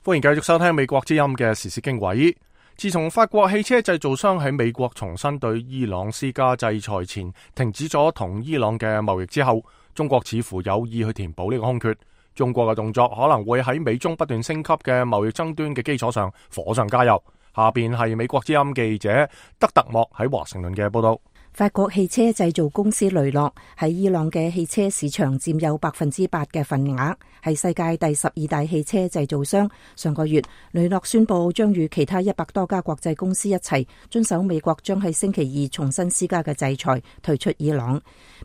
歡迎繼續收聽美國之音嘅時事經緯。自從法國汽車製造商喺美國重新對伊朗施加制裁前，停止咗同伊朗嘅貿易之後，中國似乎有意去填補呢個空缺。中國嘅動作可能會喺美中不斷升級嘅貿易爭端嘅基礎上火上加油。下邊係美國之音記者德特莫喺華盛頓嘅報道。法國汽車製造公司雷諾喺伊朗嘅汽車市場佔有百分之八嘅份額，係世界第十二大汽車製造商。上個月，雷諾宣布將與其他一百多家國際公司一齊遵守美國將喺星期二重新施加嘅制裁，退出伊朗。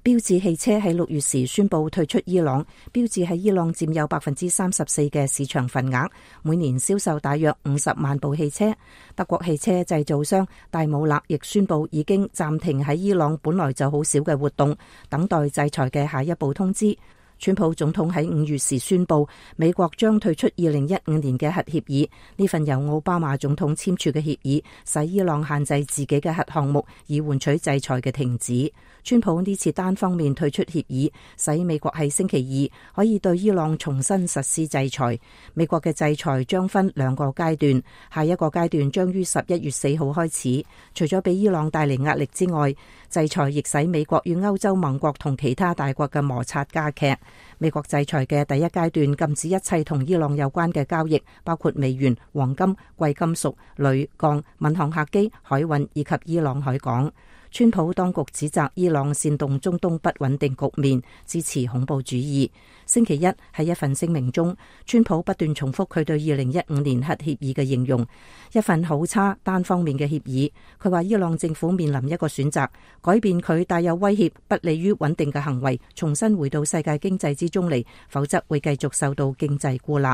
標致汽車喺六月時宣布退出伊朗，標致喺伊朗佔有百分之三十四嘅市場份額，每年銷售大約五十萬部汽車。德國汽車製造商戴姆勒亦宣布已經暫停喺伊朗本來就好少嘅活動，等待制裁嘅下一步通知。川普總統喺五月時宣布，美國將退出二零一五年嘅核協議。呢份由奧巴馬總統簽署嘅協議，使伊朗限制自己嘅核項目，以換取制裁嘅停止。川普呢次單方面退出協議，使美國喺星期二可以對伊朗重新實施制裁。美國嘅制裁將分兩個階段，下一個階段將於十一月四號開始。除咗俾伊朗帶嚟壓力之外，制裁亦使美國與歐洲盟國同其他大國嘅摩擦加劇。美國制裁嘅第一階段禁止一切同伊朗有關嘅交易，包括美元、黃金、貴金屬、鋁、鋼、民航客機、海運以及伊朗海港。川普當局指責伊朗煽動中東不穩定局面，支持恐怖主義。星期一喺一份聲明中，川普不斷重複佢對二零一五年核協議嘅形容，一份好差單方面嘅協議。佢話伊朗政府面臨一個選擇，改變佢帶有威脅、不利於穩定嘅行為，重新回到世界經濟之中嚟，否則會繼續受到經濟孤立。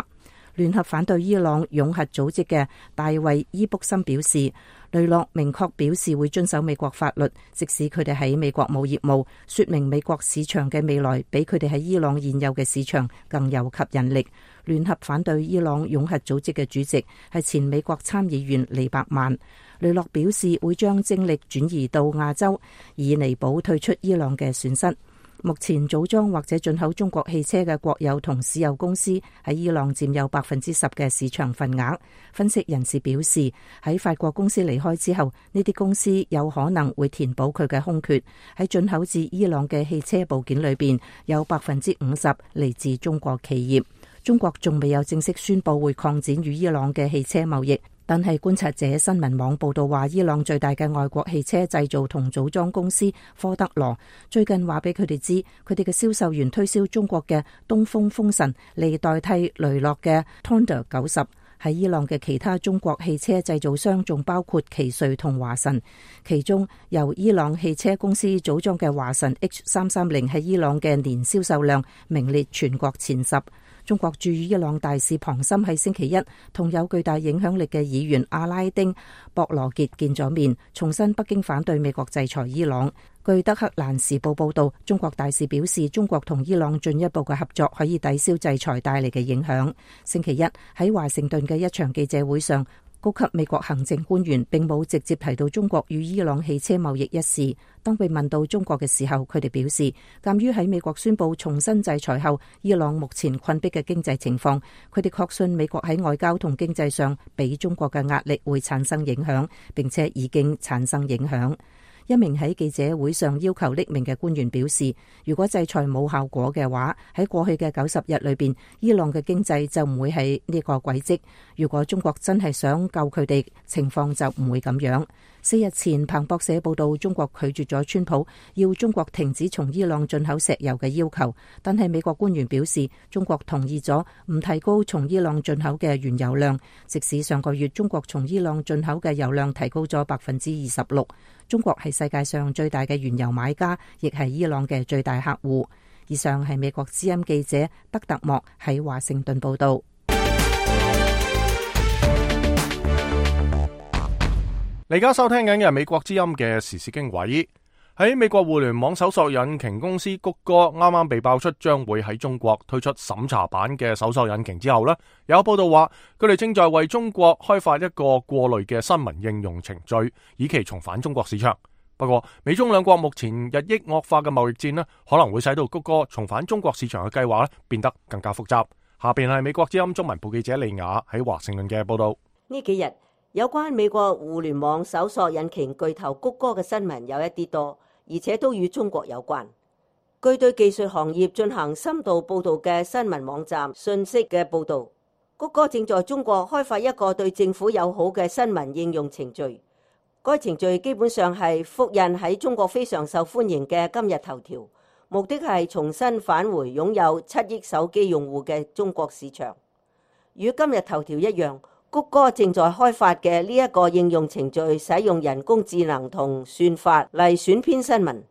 聯合反對伊朗擁核組織嘅大衛伊卜森表示，雷諾明確表示會遵守美國法律，即使佢哋喺美國冇業務，說明美國市場嘅未來比佢哋喺伊朗現有嘅市場更有吸引力。聯合反對伊朗擁核組織嘅主席係前美國參議員利伯曼。雷諾表示會將精力轉移到亞洲，以彌補退出伊朗嘅損失。目前組裝或者進口中國汽車嘅國有同私有公司喺伊朗佔有百分之十嘅市場份額。分析人士表示，喺法國公司離開之後，呢啲公司有可能會填補佢嘅空缺。喺進口至伊朗嘅汽車部件裏邊，有百分之五十嚟自中國企業。中國仲未有正式宣布會擴展與伊朗嘅汽車貿易。但係觀察者新聞網報道話，伊朗最大嘅外國汽車製造同組裝公司科德羅最近話俾佢哋知，佢哋嘅銷售員推銷中國嘅東風風神嚟代替雷諾嘅 Thunder 九十。喺伊朗嘅其他中國汽車製造商仲包括奇瑞同華晨，其中由伊朗汽車公司組裝嘅華晨 H 三三零喺伊朗嘅年銷售量名列全國前十。中國駐伊朗大使龐森喺星期一同有巨大影響力嘅議員阿拉丁博羅傑見咗面，重申北京反對美國制裁伊朗。據德克蘭時報報道，中國大使表示，中國同伊朗進一步嘅合作可以抵消制裁帶嚟嘅影響。星期一喺華盛頓嘅一場記者會上，高級美國行政官員並冇直接提到中國與伊朗汽車貿易一事。當被問到中國嘅時候，佢哋表示，鑒於喺美國宣布重新制裁後，伊朗目前困迫嘅經濟情況，佢哋確信美國喺外交同經濟上俾中國嘅壓力會產生影響，並且已經產生影響。一名喺記者會上要求匿名嘅官員表示，如果制裁冇效果嘅話，喺過去嘅九十日裏邊，伊朗嘅經濟就唔會係呢個軌跡。如果中國真係想救佢哋，情況就唔會咁樣。四日前，彭博社報道，中國拒絕咗川普要中國停止從伊朗進口石油嘅要求，但係美國官員表示，中國同意咗唔提高從伊朗進口嘅原油量，即使上個月中國從伊朗進口嘅油量提高咗百分之二十六。中國係世界上最大嘅原油買家，亦係伊朗嘅最大客戶。以上係美國之音記者德特莫喺華盛頓報道。你而家收聽緊嘅係美國之音嘅時事經緯。喺美國互聯網搜索引擎公司谷歌啱啱被爆出將會喺中國推出審查版嘅搜索引擎之後呢，有報道話佢哋正在為中國開發一個過濾嘅新聞應用程序，以期重返中國市場。不過美中兩國目前日益惡化嘅貿易戰呢，可能會使到谷歌重返中國市場嘅計劃呢變得更加複雜。下邊係美國之音中文部記者利亞喺華盛頓嘅報道。呢幾日有關美國互聯網搜索引擎巨頭谷歌嘅新聞有一啲多，而且都與中國有關。據對技術行業進行深度報道嘅新聞網站信息嘅報道，谷歌正在中國開發一個對政府友好嘅新聞應用程序。該程序基本上係複印喺中國非常受歡迎嘅今日頭條，目的係重新返回擁有七億手機用戶嘅中國市場。與今日頭條一樣，谷歌正在開發嘅呢一個應用程序使用人工智能同算法嚟選編新聞，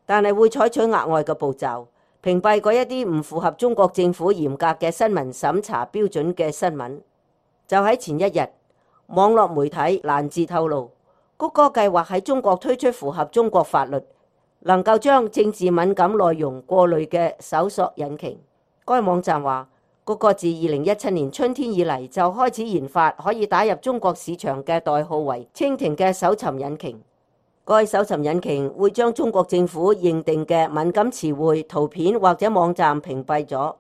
但係會採取額外嘅步驟，屏蔽嗰一啲唔符合中國政府嚴格嘅新聞審查標準嘅新聞。就喺前一日，網絡媒體蘭字透露，谷歌計劃喺中國推出符合中國法律，能夠將政治敏感內容過濾嘅搜索引擎。該網站話，谷歌自二零一七年春天以嚟就開始研發可以打入中國市場嘅代號為蜻蜓嘅搜尋引擎。該搜尋引擎會將中國政府認定嘅敏感詞彙、圖片或者網站屏蔽咗。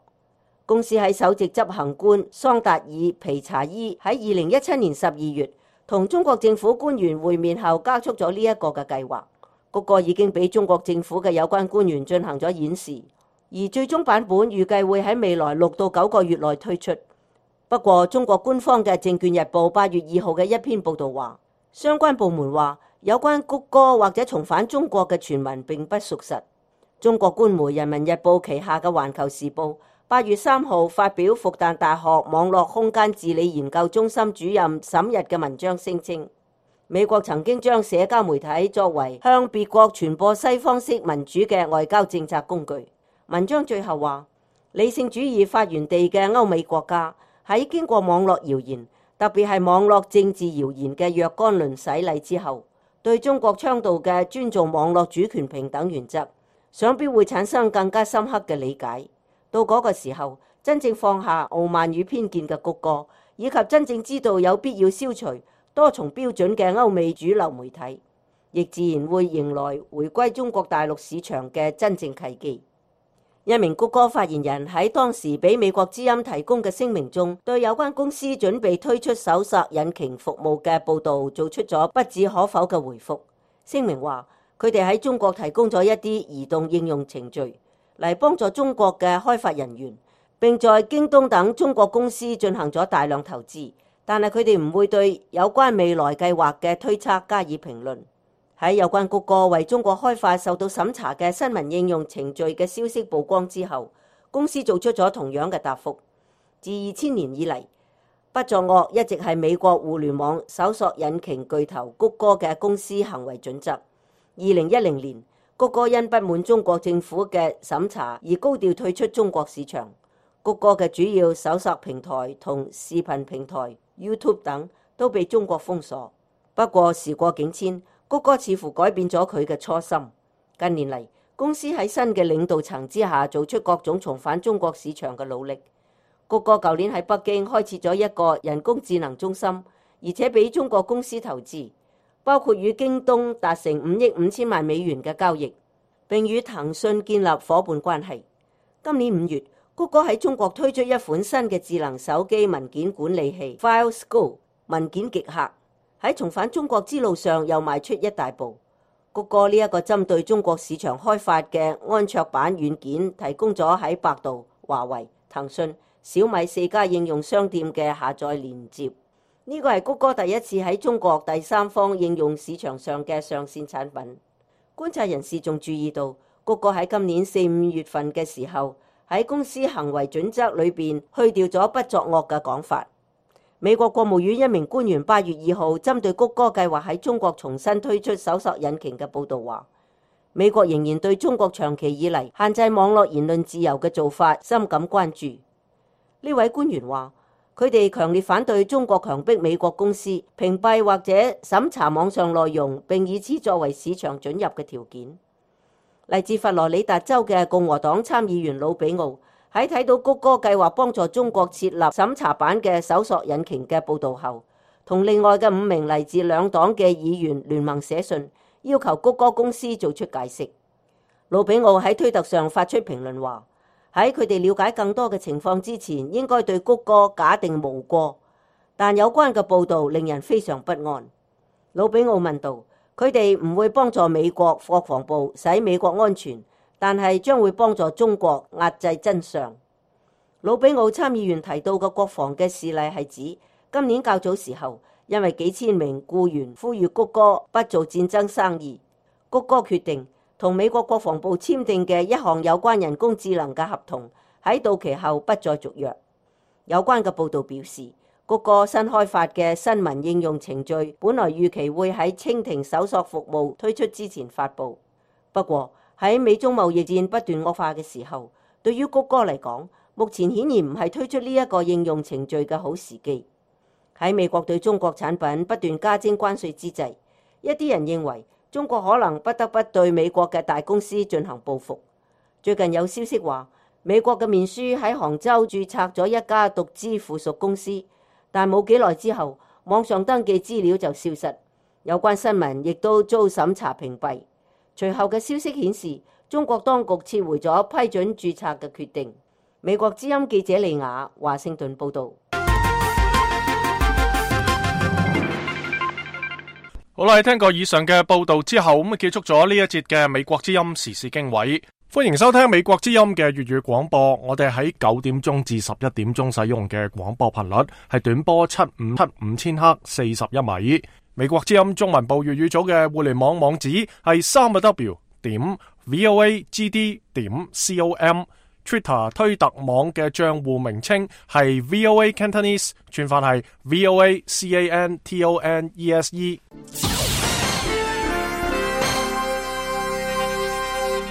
公司喺首席執行官桑達爾皮查伊喺二零一七年十二月同中國政府官員會面後加速咗呢一個嘅計劃。谷歌已經俾中國政府嘅有關官員進行咗演示。而最終版本預計會喺未來六到九個月內推出。不過，中國官方嘅《證券日報》八月二號嘅一篇報導話，相關部門話有關谷歌或者重返中國嘅傳聞並不屬實。中國官媒《人民日報》旗下嘅《環球時報》八月三號發表復旦大學網絡空間治理研究中心主任沈日嘅文章，聲稱美國曾經將社交媒體作為向別國傳播西方式民主嘅外交政策工具。文章最後話，理性主義發源地嘅歐美國家喺經過網絡謠言，特別係網絡政治謠言嘅若干輪洗禮之後，對中國倡導嘅尊重網絡主權平等原則，想必會產生更加深刻嘅理解。到嗰個時候，真正放下傲慢與偏見嘅谷歌，以及真正知道有必要消除多重標準嘅歐美主流媒體，亦自然會迎來回歸中國大陸市場嘅真正契機。一名谷歌發言人喺當時俾美國之音提供嘅聲明中，對有關公司準備推出搜索引擎服務嘅報導做出咗不置可否嘅回覆。聲明話，佢哋喺中國提供咗一啲移動應用程序嚟幫助中國嘅開發人員，並在京東等中國公司進行咗大量投資，但係佢哋唔會對有關未來計劃嘅推測加以評論。喺有關谷歌為中國開發受到審查嘅新聞應用程序嘅消息曝光之後，公司做出咗同樣嘅答覆。自二千年以嚟，不作惡一直係美國互聯網搜索引擎巨頭谷歌嘅公司行為準則。二零一零年，谷歌因不滿中國政府嘅審查而高調退出中國市場。谷歌嘅主要搜索平台同視頻平台 YouTube 等都被中國封鎖。不過時過境遷，谷歌似乎改變咗佢嘅初心。近年嚟，公司喺新嘅領導層之下做出各種重返中國市場嘅努力。谷歌舊年喺北京開設咗一個人工智能中心，而且俾中國公司投資，包括與京東達成五億五千萬美元嘅交易，並與騰訊建立夥伴關係。今年五月，谷歌喺中國推出一款新嘅智能手機文件管理器 Files Go 文件極客。喺重返中國之路上又邁出一大步。谷歌呢一個針對中國市場開發嘅安卓版軟件，提供咗喺百度、華為、騰訊、小米四家應用商店嘅下載連接。呢個係谷歌第一次喺中國第三方應用市場上嘅上線產品。觀察人士仲注意到，谷歌喺今年四五月份嘅時候，喺公司行為準則裏邊去掉咗不作惡嘅講法。美國國務院一名官員八月二號針對谷歌計劃喺中國重新推出搜索引擎嘅報導話，美國仍然對中國長期以嚟限制網絡言論自由嘅做法深感關注。呢位官員話，佢哋強烈反對中國強迫美國公司屏蔽或者審查網上內容，並以此作為市場准入嘅條件。嚟自佛羅里達州嘅共和黨參議員魯比奧喺睇到谷歌計劃幫助中國設立審查版嘅搜索引擎嘅報導後，同另外嘅五名嚟自兩黨嘅議員聯盟寫信，要求谷歌公司做出解釋。魯比奧喺推特上發出評論話，喺佢哋了解更多嘅情況之前，應該對谷歌假定無過，但有關嘅報導令人非常不安。魯比奧問道，佢哋唔會幫助美國國防部使美國安全，但係將會幫助中國壓制真相。魯比奧參議員提到嘅國防嘅事例係指今年較早時候，因為幾千名僱員呼籲谷歌不做戰爭生意，谷歌決定同美國國防部簽訂嘅一項有關人工智能嘅合同喺到期後不再續約。有關嘅報導表示，谷歌新開發嘅新聞應用程序本來預期會喺蜻蜓搜索服務推出之前發布，不過喺美中貿易戰不斷惡化嘅時候，對於谷歌嚟講，目前顯然唔係推出呢一個應用程序嘅好時機。喺美國對中國產品不斷加徵關稅之際，一啲人認為中國可能不得不對美國嘅大公司進行報復。最近有消息話，美國嘅面書喺杭州註冊咗一家獨資附屬公司，但冇幾耐之後，網上登記資料就消失，有關新聞亦都遭審查屏蔽。隨後嘅消息顯示，中國當局撤回咗批准註冊嘅決定。美國之音記者利亞華盛頓報導。好啦，聽過以上嘅報導之後，咁結束咗呢一節嘅美國之音時事經緯。歡迎收聽美國之音嘅粵語廣播，我哋喺九點鐘至十一點鐘使用嘅廣播頻率係短波七五七五千赫四十一米。美國之音中文部粵語組嘅互聯網網址係三個 W 點 voagd 點 com，Twitter 推特網嘅賬戶名稱係 V O A Cantonese， 串法係 V O A C A N T O N E S E。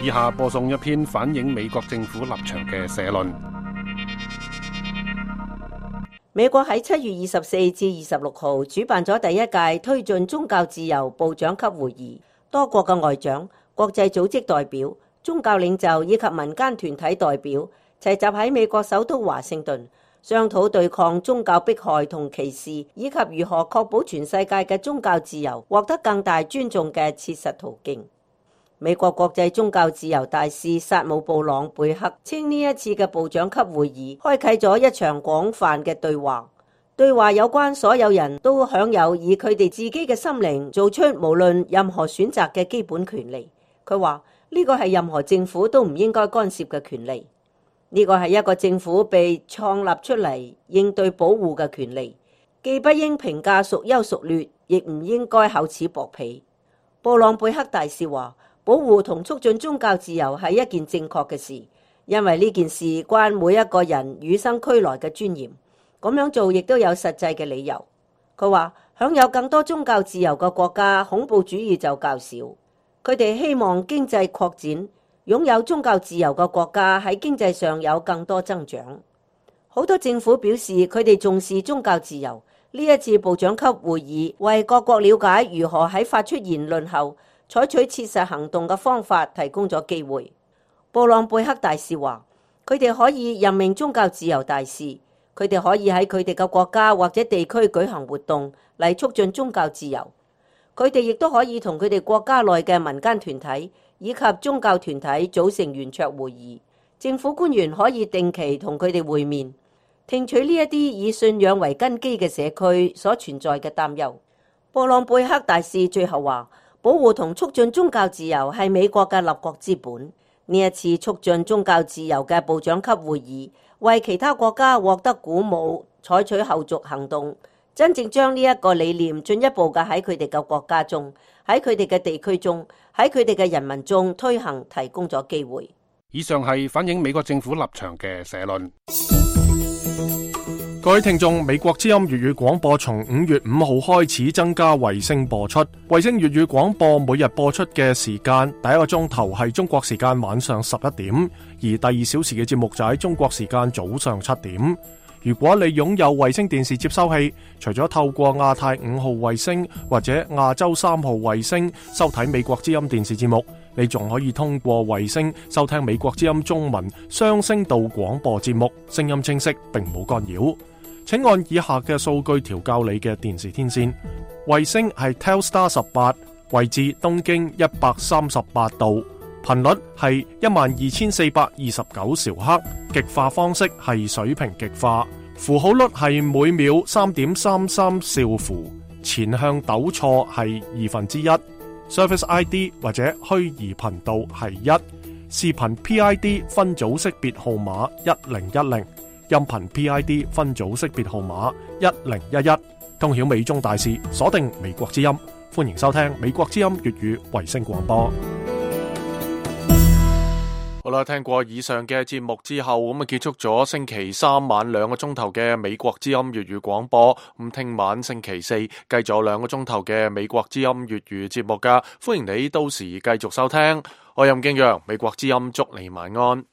以下播送一篇反映美國政府立場嘅社論。美國喺七月二十四至二十六號主辦咗第一屆推進宗教自由部長級會議，多國嘅外長、國際組織代表、宗教領袖以及民間團體代表齊集喺美國首都華盛頓，商討對抗宗教迫害同歧視，以及如何確保全世界嘅宗教自由獲得更大尊重嘅切實途徑。美國國際宗教自由大使薩姆布朗貝克稱呢一次嘅部長級會議開啟咗一場廣泛嘅對話，對話有關所有人都享有以佢哋自己嘅心靈做出無論任何選擇嘅基本權利。佢話呢個係任何政府都唔應該干涉嘅權利，呢個係一個政府被創立出嚟應對保護嘅權利，既不應評價孰優孰劣，亦唔應該厚此薄彼。布朗貝克大使話，保護同促進宗教自由係一件正確嘅事，因為呢件事關每一個人與生俱來嘅尊嚴。咁樣做亦都有實際嘅理由。佢話享有更多宗教自由嘅國家，恐怖主義就較少。佢哋希望經濟擴展，擁有宗教自由嘅國家喺經濟上有更多增長。好多政府表示佢哋重視宗教自由。呢一次部長級會議為各國了解如何喺發出言論後採取切實行動嘅方法提供咗機會。布朗貝克大使話，佢哋可以任命宗教自由大使，佢哋可以喺佢哋嘅國家或者地區舉行活動嚟促進宗教自由。佢哋亦都可以同佢哋國家內嘅民間團體以及宗教團體組成圓桌會議，政府官員可以定期同佢哋會面，聽取呢一啲以信仰為根基嘅社區所存在嘅擔憂。布朗貝克大使最後話，保護同促進宗教自由係美國嘅立國之本。呢一次促進宗教自由嘅部長級會議，為其他國家獲得鼓舞，採取後續行動，真正將呢一個理念進一步嘅喺佢哋嘅國家中、喺佢哋嘅地區中、喺佢哋嘅人民中推行，提供咗機會。以上係反映美國政府立場嘅社論。各位聽眾，美國之音粵語廣播從五月五號開始增加衛星播出。衛星粵語廣播每日播出嘅時間，第一個鐘頭係中國時間晚上十一點，而第二小時嘅節目就喺中國時間早上七點。如果你擁有衛星電視接收器，除咗透過亞太五號衛星或者亞洲三號衛星收睇美國之音電視節目，你仲可以通過衛星收聽美國之音中文雙聲道廣播節目，聲音清晰並冇干擾。請按以下嘅數據調校你嘅電視天線。衛星係 Telstar 十八，位置東經一百三十八度，頻率係一萬二千四百二十九兆赫，極化方式係水平極化，符號率係每秒三點三三兆符，前向抖錯係二分之一，Service I D 或者虛擬頻道係一，視頻 P I D 分組識別號碼一零一零。音頻 P I D 分組識別號碼一零一一，通曉美中大事，鎖定美國之音，歡迎收聽美國之音粵語衛星廣播。好啦，聽過以上嘅節目之後，咁啊結束咗星期三晚兩個鐘頭嘅美國之音粵語廣播。咁聽晚星期四繼續有兩個鐘頭嘅美國之音粵語節目噶，歡迎你到時繼續收聽。我任敬陽，美國之音祝你晚安。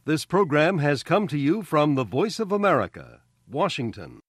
This program has come to you from the Voice of America, Washington.